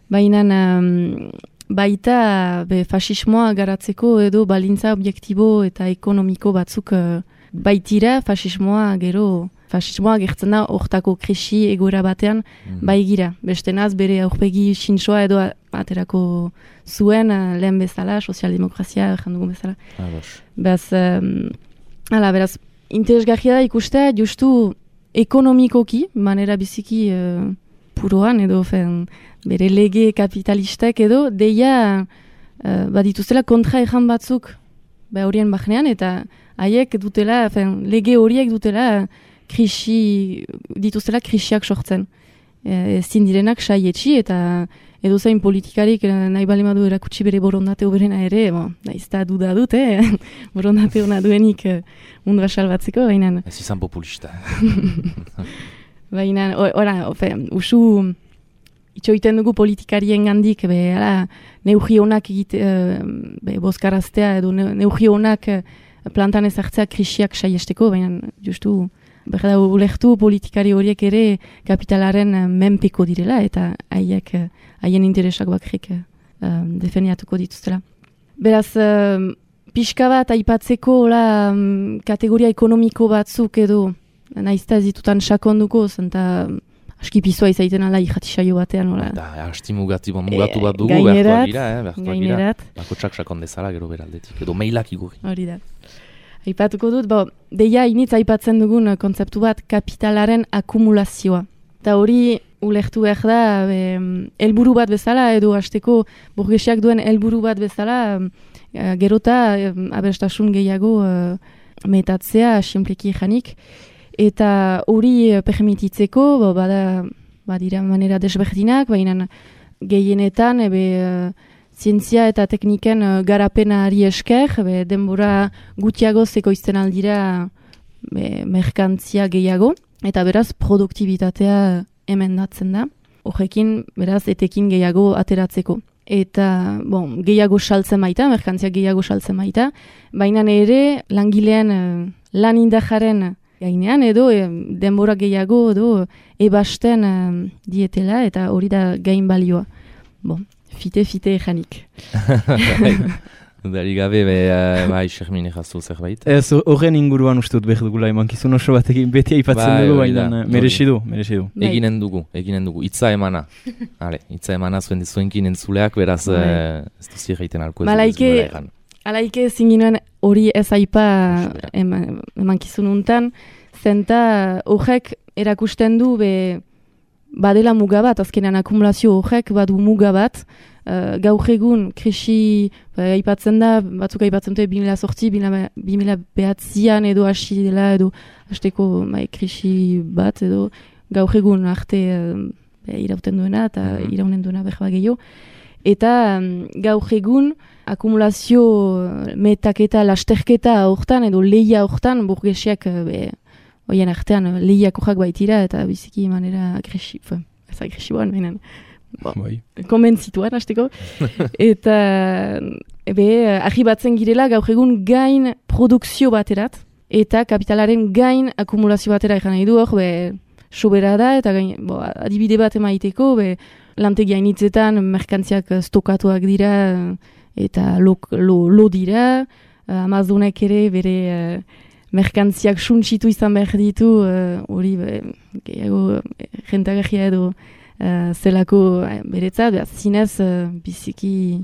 Baina um, baita be, fasismoa garatzeko edo balintza objektibo eta ekonomiko batzuk uh, baitira fasismoa gero, fasismoa gertzen da hortako krisi egoera batean mm. baigira. Bestenaz bere aurpegi sintsoa edo aterako zuen uh, lehen bezala, sozialdemokrazia jandugun bezala. Ados. Beraz, um, ala, beraz, interesgarria da ikustea justu ekonomikoki, manera biziki uh, puroan edo fen, bere lege kapitalistek edo deia uh, badituzela kontra ejan batzuk ba horien bahnean eta haiek dutela, fen, lege horiek dutela krisi, dituzela krisiak sortzen. E, ezin direnak saietxi eta edo zain politikarik nahi balimadu erakutsi bere borondate oberena ere, bo, nahiz eta duda dute, eh? borondate hona duenik uh, mundua salbatzeko, baina... Ez izan populista. Baina, ora, usu itxoiten dugu politikarien gandik, be, ala, neugi honak egite, uh, be, bozkaraztea edo ne, neugi honak uh, plantan ezartzea krisiak saiesteko, baina justu... Berda, ulektu politikari horiek ere kapitalaren uh, menpeko direla eta haiek uh, haien interesak bakrik uh, defeniatuko dituztela. Beraz, uh, pixka bat aipatzeko la, um, kategoria ekonomiko batzuk edo naizta ez ditutan sakonduko, zenta aski pizoa izaiten ala irratisaio batean. Ola. Da, asti mugatu, mugatu bat dugu, gainerat, behartuak gira, eh, behartuak gira. Bakotsak sakondezala gero beraldetik, edo mailak igurri. Hori da. Aipatuko dut, bo, deia initz aipatzen dugun kontzeptu bat kapitalaren akumulazioa. Eta hori ulertu behar da, be, helburu bat bezala, edo hasteko burgesiak duen helburu bat bezala, e, gerota e, aberastasun gehiago e, metatzea, sinpleki janik. Eta hori e, permititzeko, bo, bada, badira manera desberdinak, baina gehienetan, ebe, e, zientzia eta tekniken uh, garapenari esker, be, denbora gutiago zekoizten aldira be, merkantzia gehiago, eta beraz produktibitatea emendatzen da. Horrekin, beraz, etekin gehiago ateratzeko. Eta, bon, gehiago saltzen baita, merkantzia gehiago saltzen baita, baina ere langileen uh, lan indajaren gainean edo e, denbora gehiago edo ebasten uh, dietela, eta hori da gain balioa. Bon. Fite-fite janik. Dari gabe, be, uh, bai, Xermin ejazu zerbait. Ez, horren inguruan ustut behar dugula, emankizun oso batekin beti aipatzen bai, dugu, baina merezi du, merezi du. Eginen dugu, eginen dugu, itza emana. Hale, itza emana zuen dizuenkin entzuleak, beraz, uh, ez duzi egiten alko ez Malaike, alaike zinginuen hori ez aipa eman, emankizun untan, zenta horrek erakusten du, be, badela muga bat, azkenean akumulazio horrek badu muga bat, uh, gaur egun krisi ba, aipatzen da, batzuk aipatzen dute bi mila zortzi, bi mila behatzian edo hasi dela edo hasteko bai, krisi bat edo gaur egun arte uh, irauten duena eta mm-hmm. iraunen duena behar gehiago. Eta um, gaur egun akumulazio metaketa, lasterketa hortan edo lehia hortan burgesiak uh, be, oien artean lehiako jak baitira eta biziki manera agresiboan, ez agresiboan, benen, bo, konbentzituan hasteko. Eta ebe, arribatzen girela gaur egun gain produkzio baterat eta kapitalaren gain akumulazio batera egan nahi du hor, be, sobera da eta gain, bo, adibide bat emaiteko, be, lantegia initzetan merkantziak stokatuak dira eta lo, lo, lo dira, Amazonek ere bere merkantziak suntsitu izan behar ditu, hori uh, gehiago jentagarria edo uh, zelako uh, beretzat, behaz zinez uh, biziki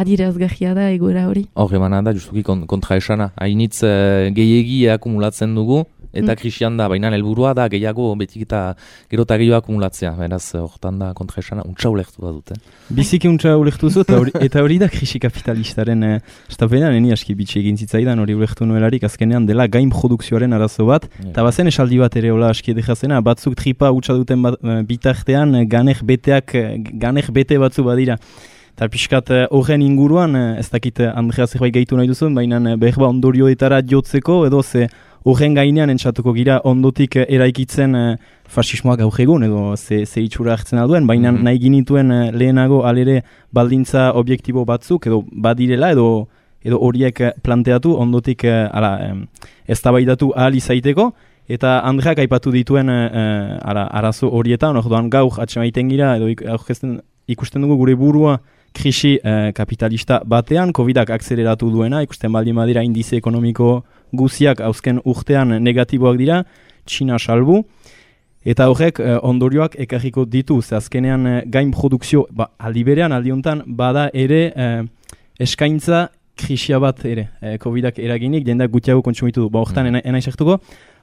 adirazgarria da egoera hori. Hor emana da, justuki kontra esana, hainitz uh, gehiegi akumulatzen dugu, eta krisian da, baina helburua da gehiago betik eta gero eta gehiago akumulatzea, beraz, hortan da kontra esana, untsa ulektu da dute. Biziki untsa ulektu zu, eta hori da krisi kapitalistaren eh, estapenan, eni aski bitxe egin zitzaidan hori ulektu nuelarik, azkenean dela gain produkzioaren arazo bat, eta bazen esaldi bat ere hola aski edekazena, batzuk tripa utxa duten bat, bitartean ganek beteak, ganek bete batzu badira. Eta pixkat horren inguruan, ez dakit Andrea zerbait gaitu nahi duzun, baina behar ondorioetara jotzeko, edo ze horren gainean entzatuko gira ondotik eraikitzen fasismoak gaur egun, edo ze, ze itxura hartzen alduen, baina mm-hmm. nahi ginituen lehenago alere baldintza objektibo batzuk, edo badirela, edo edo horiek planteatu, ondotik ala, eztabaidatu ahal izaiteko, eta Andreak aipatu dituen uh, ara, arazo horietan, orduan gaur atxemaiten gira, edo ikusten dugu gure burua krisi uh, kapitalista batean, Covidak akzeleratu duena, ikusten baldin badira indize ekonomiko guziak hauzken urtean negatiboak dira, Txina salbu, eta horrek uh, ondorioak ekarriko ditu, ze azkenean uh, gain produkzio, ba, aldi berean, aldi hontan, bada ere uh, eskaintza krisia bat ere, uh, Covidak eraginik, jendeak gutiago kontsumitu du, ba, horretan mm. ena izartuko,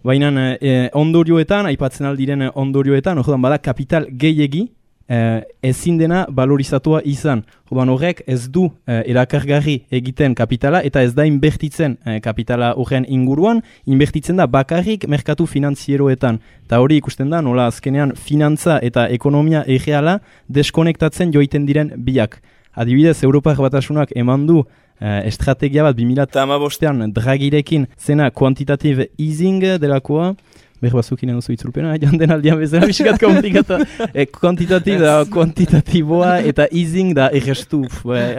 baina uh, ondorioetan, aipatzen aldiren ondorioetan, horretan bada kapital gehiegi, Eh, ezin dena valorizatua izan. Orduan horrek ez du eh, erakargarri egiten kapitala eta ez da inbertitzen eh, kapitala horren inguruan, inbertitzen da bakarrik merkatu finanzieroetan. Eta hori ikusten da nola azkenean finantza eta ekonomia erreala deskonektatzen joiten diren biak. Adibidez, Europar Batasunak eman du eh, estrategia bat bi mila hamabostean Dragirekin zena quantitative easing delakoa, behar bazukin edo itzulpena, janden aldean bezala biskat komplikata. E, kuantitativ da, kuantitatiboa eta easing da errestu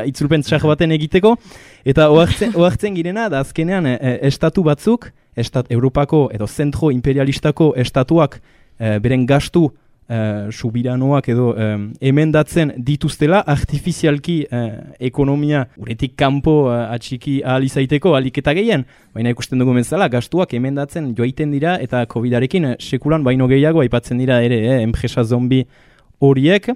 itzulpen txar baten egiteko. Eta oartzen girena, da azkenean e, estatu batzuk, estat, Europako edo zentro imperialistako estatuak e, beren gastu Uh, subiranoak edo um, emendatzen dituztela artifizialki uh, ekonomia uretik kanpo uh, atxiki ahal izaiteko aliketa gehien, baina ikusten dugu bezala gastuak emendatzen joaiten dira eta Covidarekin uh, sekulan baino gehiago aipatzen dira ere eh, enpresa zombi horiek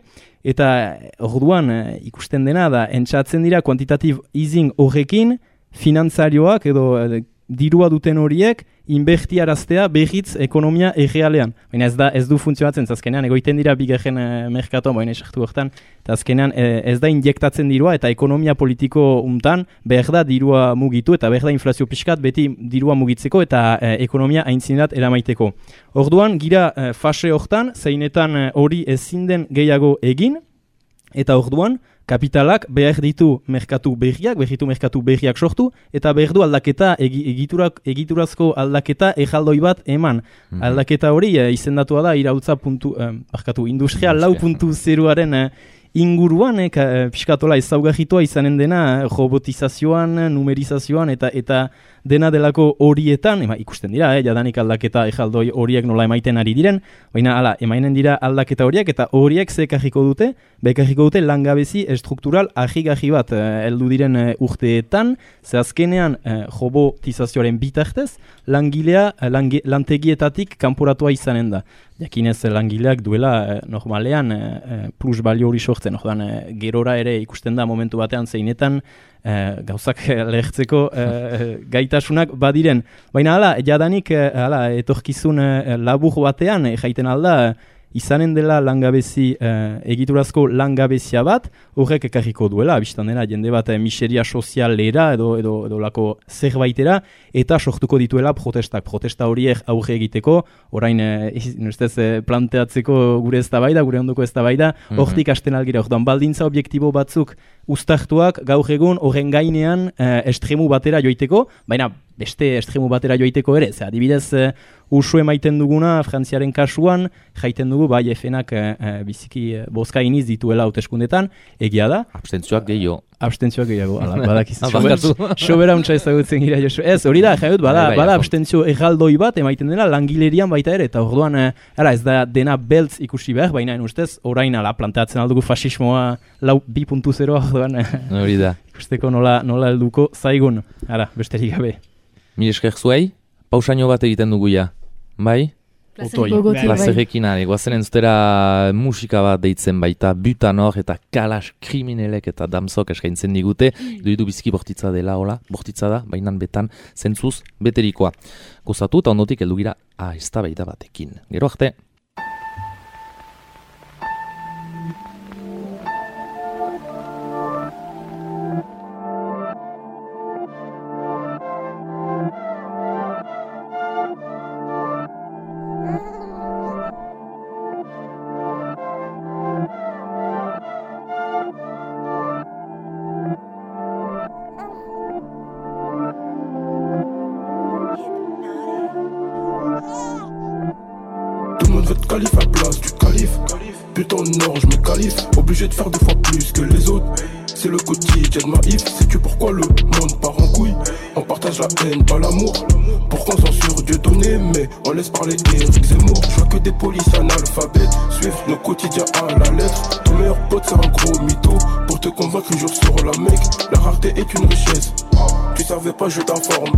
eta orduan uh, ikusten dena da entzatzen dira quantitative easing horrekin finantzarioak edo uh, dirua duten horiek inbertiaraztea behitz ekonomia errealean. Baina ez da ez du funtzionatzen, azkenean egoiten dira bigarren e, merkatoan, baina esartu hortan, eta azkenean e, ez da injektatzen dirua eta ekonomia politiko untan behar da dirua mugitu eta behar da inflazio pixkat beti dirua mugitzeko eta e, ekonomia aintzinerat eramaiteko. Orduan, gira e, fase hortan, zeinetan hori e, ezin den gehiago egin, eta orduan, kapitalak behar ditu merkatu berriak, behar ditu merkatu berriak sortu, eta behar du aldaketa, egiturak, egiturazko aldaketa ejaldoi bat eman. Mm-hmm. Aldaketa hori e, izendatua da, iraultza puntu, eh, barkatu, industrial lau puntu zeroaren eh, inguruan, eh, ka, piskatola ezaugarritua izanen dena, robotizazioan, numerizazioan, eta eta dena delako horietan, ema, ikusten dira, eh, jadanik aldaketa ejaldoi horiek nola emaiten ari diren, baina ala, emainen dira aldaketa horiek, eta horiek ze ekarriko dute, bekarriko dute langabezi estruktural ahigarri bat eh, heldu diren eh, urteetan, ze azkenean eh, robotizazioaren bitartez, langilea eh, lange, lantegietatik kanporatua izanen da. Jakinez langileak duela eh, normalean eh, plus balio hori sortzen, ordan eh, gerora ere ikusten da momentu batean zeinetan eh, gauzak lehertzeko eh, gaitasunak badiren. Baina hala, jadanik eh, hala, etorkizun eh, labur batean eh, jaiten alda izanen dela langabezi, eh, egiturazko langabezia bat, horrek ekarriko duela, biztan dena, jende bat eh, miseria sozialera edo, edo, edo lako zerbaitera, eta sortuko dituela protestak. Protesta horiek aurre egiteko, orain eh, nustez, eh, planteatzeko gure eztabaida, gure ondoko eztabaida, hortik mm-hmm. hasten algira, orduan baldintza objektibo batzuk uztartuak gaur egun horren gainean eh, estremu batera joiteko, baina beste estremu batera joiteko ere, ze adibidez uh, usu emaiten duguna Frantziaren kasuan, jaiten dugu bai efenak uh, biziki uh, bozka iniz dituela hauteskundetan, egia da. Abstentzioak gehiago. Abstentzioak gehiago, ala, badakiz. Sobera untsa ezagutzen gira, Josu. Ez, hori da, jaiut, bada, bada abstentzio erraldoi bat emaiten dela langilerian baita ere, eta orduan, uh, ara, ez da dena beltz ikusi behar, baina ustez, orain ala, planteatzen aldugu fasismoa lau bi puntu zero, orduan, hori da. Ikusteko nola, nola helduko zaigun, ara, besterik gabe. Mil esker zuei, pausaino bat egiten dugu ja, bai? Plazerrekin ari, guazen entzutera musika bat deitzen baita, Butanor eta Kalas Kriminelek eta Damsok eskaintzen digute, duidu biziki bortitza dela, hola, bortitza da, bainan betan zentzuz beterikoa. Gozatu eta ondotik heldu gira eztabaida batekin. Gero arte! Calife à place du calife. Putain non, je me qualifie. Obligé de faire deux fois plus que les autres. C'est le quotidien de ma if. Sais-tu pourquoi le monde part en couille? On partage la haine, pas l'amour. Pourquoi on censure Dieu donné, mais on laisse parler Éric Zemmour. Je vois que des polices analphabètes suivent nos quotidiens à la lettre. Ton meilleur pote c'est un gros mytho. Pour te convaincre un jour sur la mec. La rareté est une richesse. Tu savais pas, je t'informe.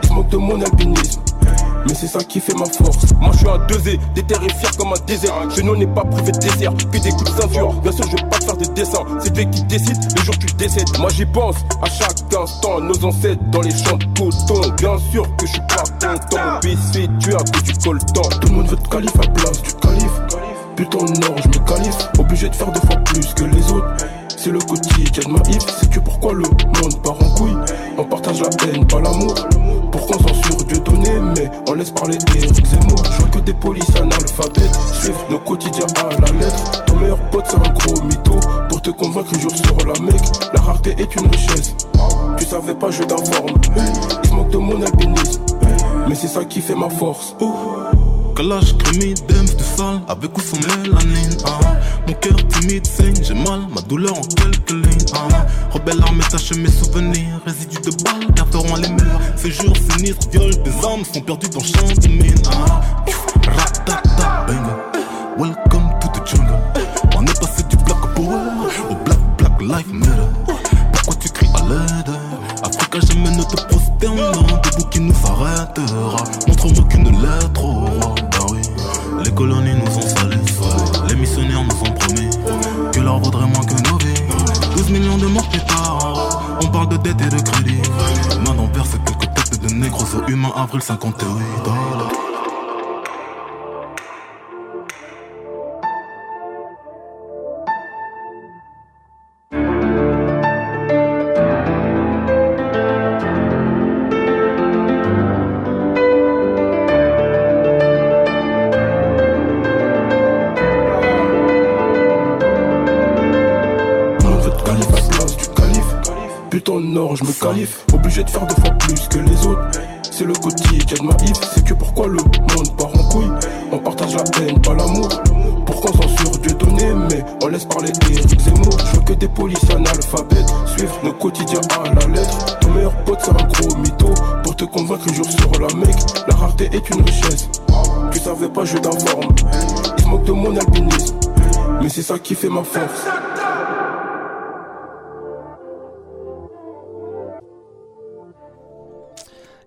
Ils se moquent de mon albinisme. Mais c'est ça qui fait ma force. Moi je suis un deux E, déterré fier comme un désert. Ce nom n'est pas privé de désert, que des coups de ceinture. Bien sûr je vais pas te faire des dessins, c'est toi qui décides le jour tu décèdes. Moi j'y pense à chaque instant, nos ancêtres dans les champs de coton. Bien sûr que je suis pas content, Biscuit tu as que tu colles temps. Tout le monde veut te qualifier à place du calife. Putain non je me qualifie, obligé de faire deux fois plus que les autres. C'est le quotidien de ma if. Sais-tu pourquoi le monde part en couille? On partage la haine, pas l'amour. Pourquoi on censure Dieu donné, mais on laisse parler Éric Zemmour. Je vois que des polices analphabètes suivent nos quotidiens à la lettre. Ton meilleur pote c'est un gros mytho. Pour te convaincre un jour sur la mec. La rareté est une richesse. Tu savais pas, je t'informe. Ils se moquent de mon albinisme. Mais c'est ça qui fait ma force. Calage, crémie, dems, du sale, avec ou sans mélanine, ah. Mon cœur timide saigne, j'ai mal, ma douleur en quelques lignes, ah. Rebelle armée taché mes souvenirs, résidus de balles, garderont les murs. Ces jours sinistres, viol, des âmes sont perdues dans champ de mine, ah. Ratata, bang, welcome to the jungle. On est passé du black power au black, black life matter. Pourquoi tu cries à l'aide? Africa jamais ne te prosterne, debout qui nous arrêtera. Montre-moi qu'une lettre au roi. Les colonies nous ont salés, les missionnaires nous ont promis que l'or vaudrait moins que nos vies. douze millions de morts plus tard, on parle de dette et de crédit. Main d'en verse quelques têtes de négros aux humains, avril cinquante-huit. Je me qualifie, obligé de faire deux fois plus que les autres. C'est le quotidien de ma if. Sais-tu pourquoi le monde part en couille? On partage la haine, pas l'amour. Pourquoi on censure Dieu donné, mais on laisse parler Éric Zemmour. Je vois que des polices analphabètes suivent nos quotidiens à la lettre. Ton meilleur pote c'est un gros mytho. Pour te convaincre un jour sur la mec. La rareté est une richesse. Tu savais pas, je t'informe. Ils se moquent de mon albinisme. Mais c'est ça qui fait ma force.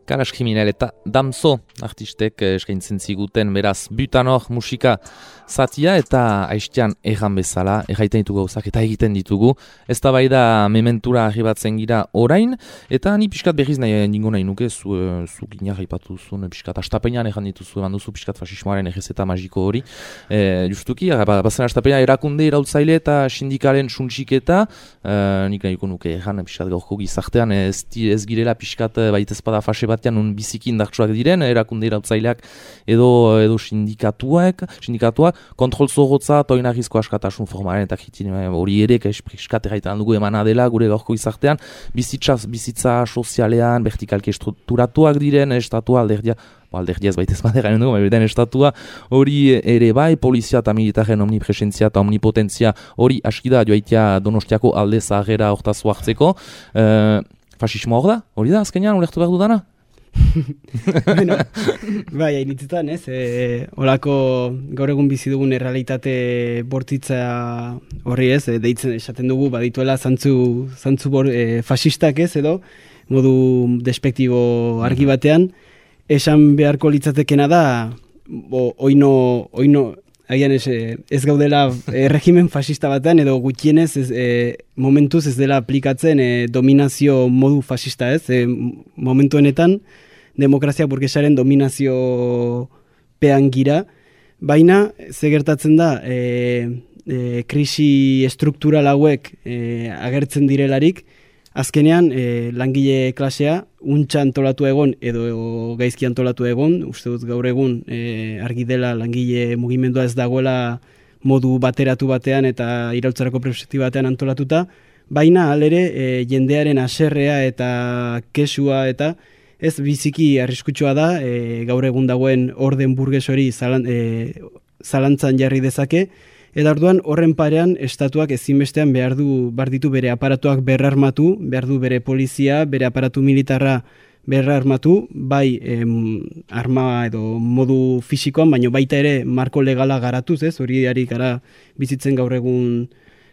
Kalas Kriminel eta Damso artistek eskaintzen ziguten, beraz, Butanor musika zatia eta aistean erran bezala, erraiten ditugu gauzak eta egiten ditugu. Ez da bai da mementura arribatzen gira orain, eta ni pixkat berriz nahi ningo nahi nuke, zu, zu gineak haipatu zuen, pixkat astapenean erran dituzu, eman duzu pixkat fasismoaren errezeta magiko hori. E, justuki, bazen astapenean erakunde irautzaile eta sindikalen suntxiketa, e, nik nahiko nuke erran pixkat gaurko gizartean, ez, ez girela pixkat baitezpada fase batean un biziki indartsuak diren, erakunde irautzaileak edo, edo sindikatuak, sindikatuak, kontrol zorrotza eta oinarrizko askatasun formaren eta kritin hori ere eskat erraitan dugu emana dela gure gaurko izartean, bizitza, bizitza sozialean, vertikalki estrukturatuak diren, estatua alderdia, alderdia ez baitez badera dugu, den estatua hori ere bai, polizia eta militaren omnipresentzia eta omnipotentzia hori askida joaitea Donostiako alde zaharrera hortazu hartzeko. E, fasismo hor da? Hori da azkenean, ulertu behar dudana? Bueno, bai, hainitzetan, ez? E, olako gaur egun bizi dugun errealitate bortitza horri, ez? E, deitzen esaten dugu, badituela zantzu, zantzu bor, e, fasistak, ez? Edo, modu despektibo argi batean, esan beharko litzatekena da bo, oino, oino agian ez, ez gaudela e, regimen fascista batean, edo gutxienez ez, e, momentuz ez dela aplikatzen e, dominazio modu fascista, ez? E, momentu honetan, demokrazia burgesaren dominazio pean gira, baina ze gertatzen da, e, e, krisi struktural hauek e, agertzen direlarik, azkenean e, langile klasea untxa antolatu egon edo gaizki antolatu egon, uste dut gaur egun e, argi dela langile mugimendua ez dagoela modu bateratu batean eta iraultzarako perspektiba batean antolatuta, baina alere e, jendearen haserrea eta kesua eta ez biziki arriskutsua da e, gaur egun dagoen orden burges hori zalan, e, zalantzan jarri dezake, eta orduan horren parean estatuak ezinbestean behar du behar ditu bere aparatuak berrarmatu, behar du bere polizia, bere aparatu militarra berrarmatu, bai em, arma edo modu fisikoan, baina baita ere marko legala garatuz, ez? Hori ari gara bizitzen gaur egun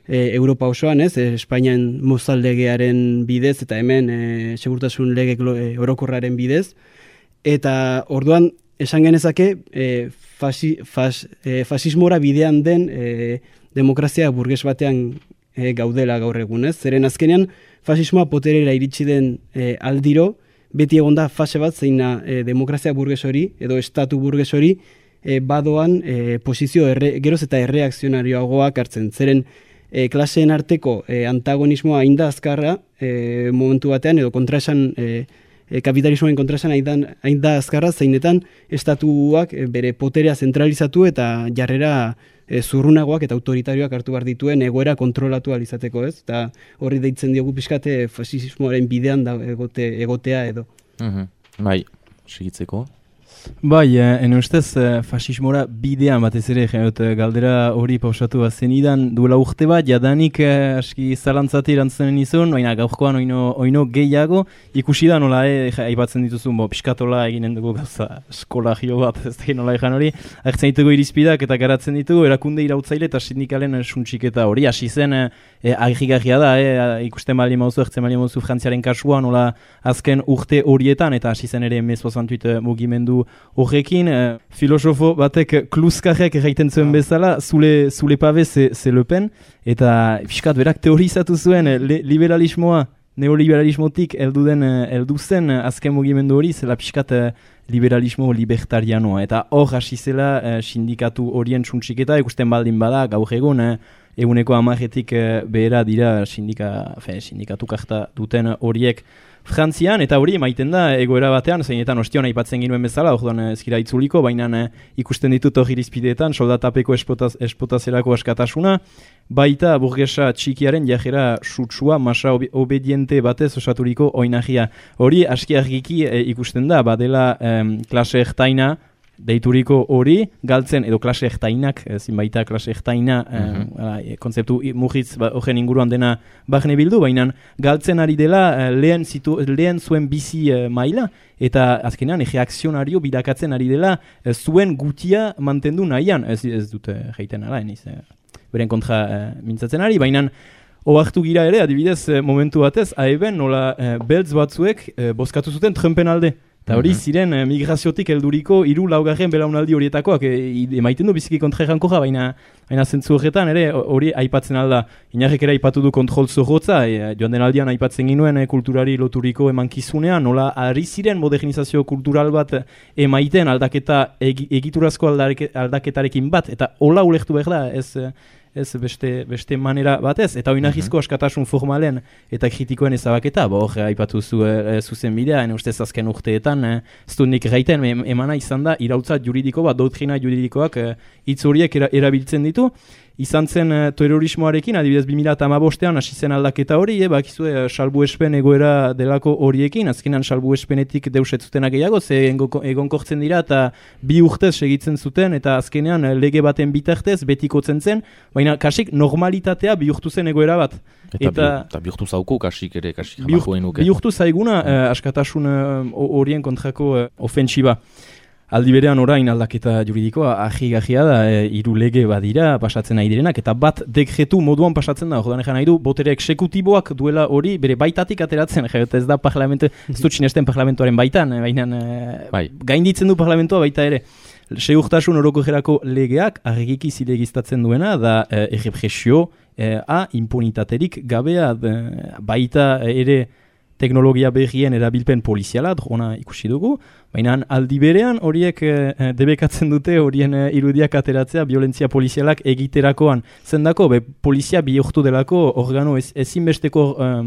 e, Europa osoan, ez? E, Espainian Mozal legearen bidez eta hemen e, segurtasun lege e, orokorraren bidez. Eta orduan esan genezake e, fasi, fas, e, fasismora bidean den e, demokrazia burges batean e, gaudela gaur egun, ez? Zeren azkenean fasismoa poterera iritsi den e, aldiro, beti egonda fase bat zeina e, demokrazia burges hori edo estatu burges hori e, badoan e, posizio erre, geroz eta erreakzionarioagoak hartzen. Zeren e, klaseen arteko e, antagonismoa hain da azkarra e, momentu batean edo kontraesan e, E, kapitalismoen kontrasan hain da azkarra zeinetan estatuak e, bere poterea zentralizatu eta jarrera e, zurrunagoak eta autoritarioak hartu behar dituen egoera kontrolatu alizateko, ez? Eta horri deitzen diogu pixkate fasismoaren bidean da egote, egotea edo. Mm-hmm. Bai, segitzeko. Bai, ene ustez, fasismora bidean batez ere, jenot, galdera hori pausatu bazen idan, duela urte bat, jadanik eh, aski zalantzati erantzenen izun, baina gaurkoan oino, oino gehiago, ikusi da nola, eh, aipatzen dituzun, bo, piskatola eginen dugu gauza eskolagio bat, ez da nola ejan hori, agertzen ditugu irizpidak eta garatzen ditugu, erakunde irautzaile eta sindikalen suntxiketa hori, hasi zen, eh, agigarria da, eh, ikusten bali mauzu, ertzen bali mauzu Frantziaren kasua, nola azken urte horietan, eta hasi zen ere mezozantuit mugimendu horrekin, eh, filosofo batek kluskajek egiten zuen bezala, zule, zule pabe ze, ze Le Pen, eta fiskat berak teorizatu zuen le, liberalismoa, neoliberalismotik heldu den heldu zen azken mugimendu hori, zela fiskat eh, liberalismo libertarianoa, eta hor hasi zela eh, sindikatu horien suntxiketa, ikusten baldin bada, gaur egun, eh, eguneko amaretik eh, behera dira sindika, fe, sindikatu karta duten horiek Frantzian, eta hori maiten da egoera batean, zeinetan ostion aipatzen ginuen bezala, orduan ezkira itzuliko, baina eh, ikusten ditut hori irizpideetan, soldatapeko espotaz, espotazerako askatasuna, baita burgesa txikiaren jajera sutsua, masa ob obediente batez osaturiko oinagia. Hori aski argiki eh, ikusten da, badela eh, klase ertaina, deituriko hori, galtzen, edo klase ertainak, ezin baita klase ertaina, mm-hmm. eh, kontzeptu mugitz ba, horren inguruan dena bahne bildu, baina galtzen ari dela eh, lehen, zitu, lehen zuen bizi eh, maila, eta azkenean reakzionario bilakatzen ari dela eh, zuen gutia mantendu nahian, ez, ez dute jaiten ala, eniz, eh, beren kontra eh, mintzatzen ari, baina ohartu gira ere, adibidez, eh, momentu batez, aeben nola eh, beltz batzuek eh, bozkatu zuten Trumpen alde. Eta hori ziren eh, migraziotik helduriko hiru laugarren belaunaldi horietakoak e, emaiten du biziki kontraeranko ja, baina baina zentzu horretan ere hori aipatzen alda. Inarrek ere aipatu du kontrol zorrotza, e, joan den aldian aipatzen ginuen e, kulturari loturiko emankizunean, nola ari ziren modernizazio kultural bat emaiten aldaketa eg, egiturazko aldake, aldaketarekin bat, eta hola ulektu behar da, ez... ez beste, beste manera batez, eta oinarrizko askatasun formalen eta kritikoen ezabaketa, bo hor, aipatu zu e, zuzen bidea, ene ustez azken urteetan, e, ez du nik gaiten, emana izan da, irautza juridiko bat, doktrina juridikoak e, hitz horiek era, erabiltzen ditu, izan zen e, terrorismoarekin, adibidez bi mila hamabostean hasi zen aldaketa hori, e, bakizue e, salbuespen egoera delako horiekin, azkenan salbuespenetik deusetzutenak gehiago, ze egonkortzen dira, eta bi urtez segitzen zuten, eta azkenean lege baten bitartez betikotzen zen, baina kasik normalitatea bihurtu zen egoera bat. Eta, eta, eta bihurtu zauko kasik ere, kasik jamako enuke. Bihurtu zaiguna mm. eh, askatasun horien eh, kontrako eh, ofentsiba. Aldi berean orain aldaketa juridikoa ahi-gahia da, e, hiru lege badira pasatzen nahi direnak, eta bat dekretu moduan pasatzen da, jodan egan nahi du, botere eksekutiboak duela hori bere baitatik ateratzen, jaiot ez da parlamentu, ez dut sinesten parlamentuaren baitan, baina e, bai. Gainditzen du parlamentua baita ere. segurtasun orokorrerako legeak argiki zilegiztatzen duena da eh, errepresio eh, a impunitaterik gabea de, baita ere teknologia berrien erabilpen poliziala, drona ikusi dugu, baina aldi berean horiek eh, debekatzen dute horien eh, irudiak ateratzea violentzia polizialak egiterakoan. Zendako, be, polizia bihurtu delako organo ez, ezinbesteko eh,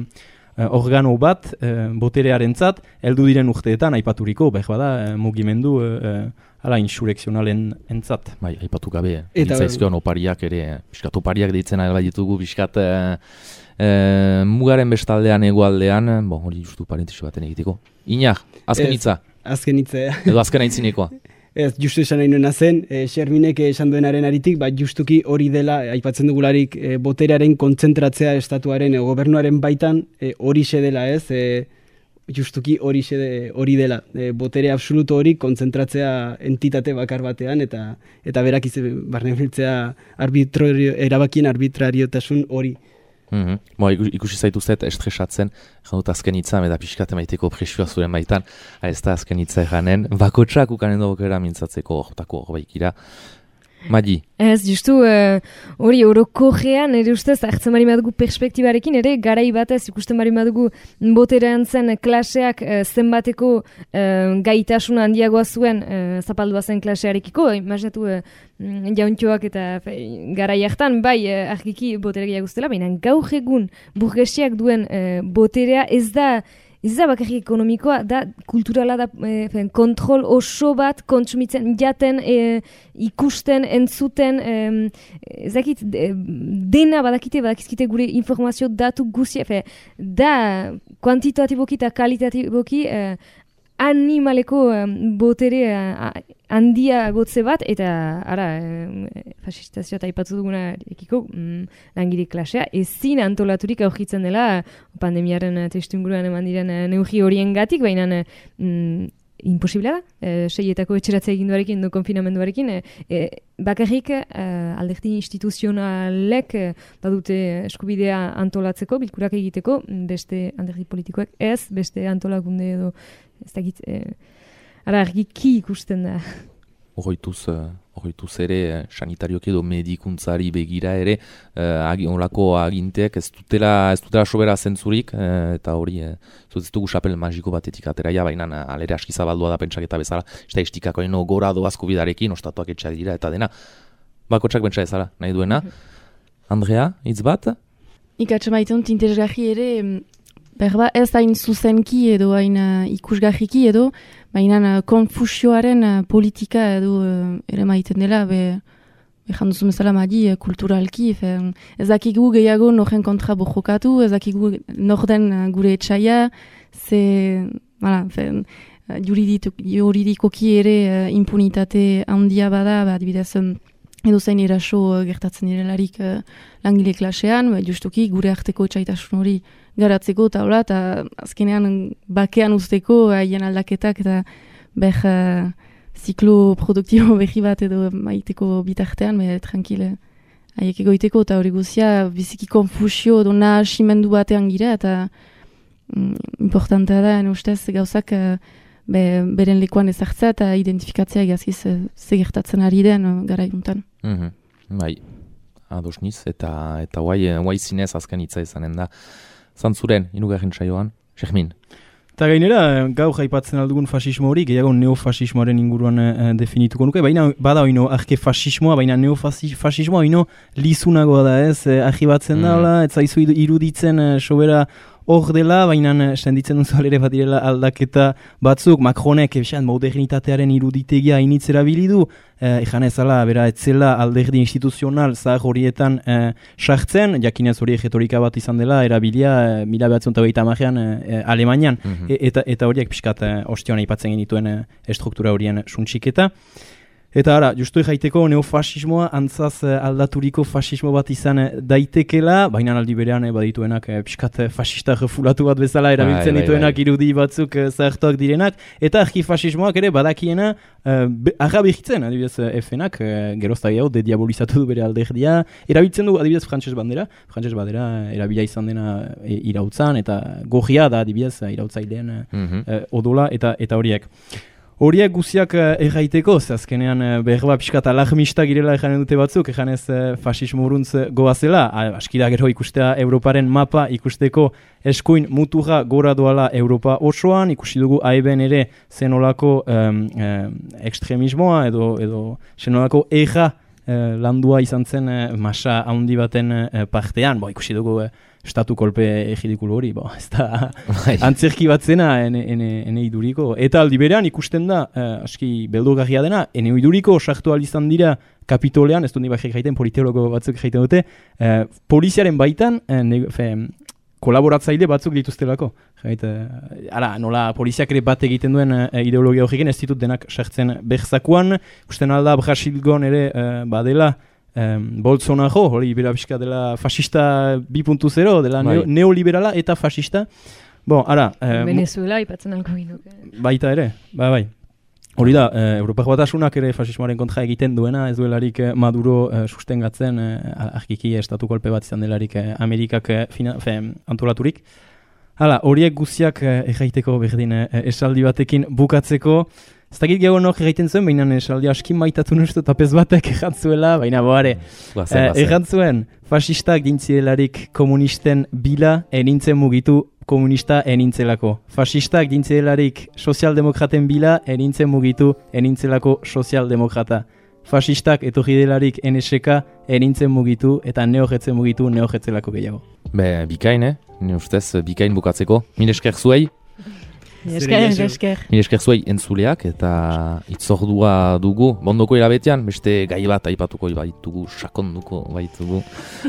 organo bat eh, boterearentzat heldu diren urteetan aipaturiko, behar bada eh, mugimendu eh, ala insurrekzionalen entzat. Bai, aipatu gabe, ditzaizkion opariak ere, piskat opariak deitzen ala ditugu, piskat e, e, mugaren bestaldean egoaldean, bon, hori justu parentesi baten egiteko. Iñak, azken hitza. Azken hitza. Edo azken aintzinekoa. Ez, justu esan nahi nuena zen, e, Xerminek esan duenaren aritik, ba, justuki hori dela, aipatzen dugularik, e, boterearen kontzentratzea estatuaren, e, gobernuaren baitan, e, hori xe dela ez, e, justuki hori xe hori dela. E, botere absoluto hori kontzentratzea entitate bakar batean, eta eta berak izan barne biltzea arbitrario, erabakien arbitrariotasun hori. Mm-hmm. Bo, ikusi zaituzet estresatzen, jandut azken hitza, eta pixkate maiteko presioa zuren baitan, ez da azken hitza eranen, bakotxak ukanen dugera mintzatzeko hortako horbaikira. Madi? Ez, justu, hori uh, orokorrean, ere ustez, hartzen bari madugu perspektibarekin, ere garai batez ikusten bari madugu boterean zen klaseak uh, zenbateko uh, gaitasuna handiagoa zuen uh, zapaldua zen klasearekiko, imaginatu uh, jauntxoak eta fe, garai hartan, bai, uh, argiki botere gehiago zutela, baina gaur egun burgesiak duen uh, boterea ez da Ez da bakarrik ekonomikoa, da kulturala da e, fen, kontrol oso bat kontsumitzen jaten, e, ikusten, entzuten, e, ezakit, de, dena badakite, badakizkite gure informazio datu guzia, fe, da kuantitatiboki eta kalitatiboki e, animaleko e, botere e, handia gotze bat, eta ara, e, fasistazioa eta ipatzu duguna ekiko mm, langile klasea, ezin antolaturik aurkitzen dela pandemiaren testu inguruan eman diren neurri horien gatik, baina mm, imposiblea da, e, seietako etxeratzea eginduarekin, do konfinamenduarekin, e, e, bakarrik e, alderdi instituzionalek e, badute eskubidea antolatzeko, bilkurak egiteko, beste alderdi politikoek ez, beste antolakunde edo, ez dakit, e, ara argiki ikusten da. Horroituz, horroituz ere, sanitarioki edo medikuntzari begira ere, eh, olako aginteak ez dutela, ez dutela sobera zentzurik, eh, eta hori, eh, ez dugu xapel magiko batetik ateraia, baina alere aski zabaldua da pentsaketa bezala, estatistikako eno gora doazko bidarekin, ostatuak etxea dira, eta dena, bakotxak pentsa ezala, nahi duena. Andrea, hitz bat? Ikatxe maiten interesgarri ere, berba ez hain zuzenki edo hain uh, ikusgarriki edo, baina uh, konfusioaren uh, politika edo uh, ere maiten dela, be, behan duzu bezala madi uh, kulturalki, fe, ez dakigu gehiago noren kontra bojokatu, ez dakigu norden uh, gure etxaia, ze, bala, fe, uh, juridikoki ere uh, impunitate handia bada, ba, adibidez, um, edo zain eraso uh, gertatzen direlarik uh, langile klasean, ba, justuki gure arteko etxaitasun hori garatzeko eta hola, eta azkenean bakean usteko haien aldaketak eta beh uh, ziklo produktibo behi bat edo maiteko bitartean, beh tranquile haiek egoiteko eta hori guzia biziki konfusio edo nahasimendu batean gira eta mm, importantea da, ustez gauzak uh, be, beren lekuan ezartzea eta identifikatzea egazkiz uh, zegertatzen ari den uh, gara eguntan. Mm-hmm. Bai, adosniz eta eta guai, guai zinez azken hitza izanen da. Zantzuren, irugarren saioan, Xermin. Eta gainera, gaur aipatzen aldugun fasismo hori, gehiago neofasismoaren inguruan e, definituko nuke, baina bada oino arke fasismoa, baina neofasismoa oino lizunagoa da ez, e, argibatzen mm. da, ez zaizu iruditzen e, sobera hor dela, baina senditzen duzu alere bat direla aldaketa batzuk, Macronek esan modernitatearen iruditegia initzera bilidu, eh, ejan ezala, bera, etzela alderdi instituzional zahar horietan eh, sartzen, jakinez hori egetorika bat izan dela, erabilia, eh, mila behatzen eta beita amajean eh, Alemanian, mm-hmm. e, eta, eta horiek pixkat eh, ostion aipatzen genituen eh, estruktura horien suntxiketa. Eta ara, justu jaiteko neofasismoa antzaz aldaturiko fasismo bat izan daitekela, baina aldi berean eh, badituenak eh, pixkat fasista refulatu bat bezala erabiltzen bai, dituenak bai, bai. Irudi batzuk eh, zahartuak direnak, eta argifasismoak ere badakiena eh, arra behitzen, adibidez F-nak, eh, gerozta gehiago, dediabolizatu du bere alderdia, erabiltzen du adibidez frantses bandera, frantses bandera erabila izan dena e, irautzan, eta gorria da adibidez irautzailean mm-hmm. eh, odola eta eta horiek. Horiek guziak erraiteko, ze azkenean berba pixkat alarmista girela ejanen dute batzuk, ejanez fasismo uruntz goazela, askida gero ikustea Europaren mapa ikusteko eskuin muturra gora doala Europa osoan, ikusi dugu aiben ere zenolako um, um, ekstremismoa edo, edo zenolako eja uh, landua izan zen uh, masa handi baten uh, partean, bo, ikusi dugu uh, estatu kolpe egidikulu hori, bo, ez da antzerki bat zena ene, ene, ene iduriko. Eta aldi berean ikusten da, eh, aski beldurgarria dena, ene iduriko sartu izan dira kapitolean, ez du ni bajek jaiten, politeologo batzuk jaiten dute, eh, poliziaren baitan, eh, ne, fe, kolaboratzaile batzuk dituztelako. Jait, eh, ara, nola poliziak ere bat egiten duen eh, ideologia horrekin, ez ditut denak sartzen berzakuan, ikusten alda Brasilgon ere eh, badela, Um, Bolsonaro, hori bera pixka dela fascista bi puntu zero, dela bai. neo, neoliberala eta fascista. Bon, ara... Um, Venezuela ipatzen alko ginuke. Baita ere, bai, bai. Hori da, uh, Europako Batasunak ere fasismoaren kontra egiten duena, ez duelarik uh, Maduro uh, sustengatzen, uh, argiki estatu kolpe bat izan delarik uh, Amerikak uh, fina, fe, antolaturik. Hala, horiek guziak uh, erraiteko berdin uh, esaldi batekin bukatzeko. Ez dakit gehiago nok egiten zuen, baina esaldi askin maitatu nustu tapez batek errantzuela, baina boare, eh, errantzuen fasistak dintzielarik komunisten bila enintzen mugitu komunista enintzelako. Fasistak dintzielarik sozialdemokraten bila enintzen mugitu enintzelako sozialdemokrata. Fasistak etorri delarik N S K enintzen mugitu eta neojetzen mugitu neojetzelako gehiago. Be, bikain, eh? Ni ustez, bikain bukatzeko. Mil esker zuei. Esker, esker. Mil esker zuei entzuleak eta itzordua dugu. Bondoko erabetean, beste gai bat aipatuko baitugu, sakonduko baitugu.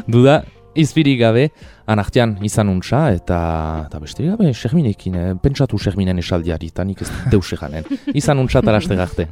Duda, izpirik gabe, anartean izan untsa eta, eta beste gabe, Xerminekin, eh? Pentsatu Xerminen esaldiari, eta nik ez deus eganen. Izan untsa taraste garte.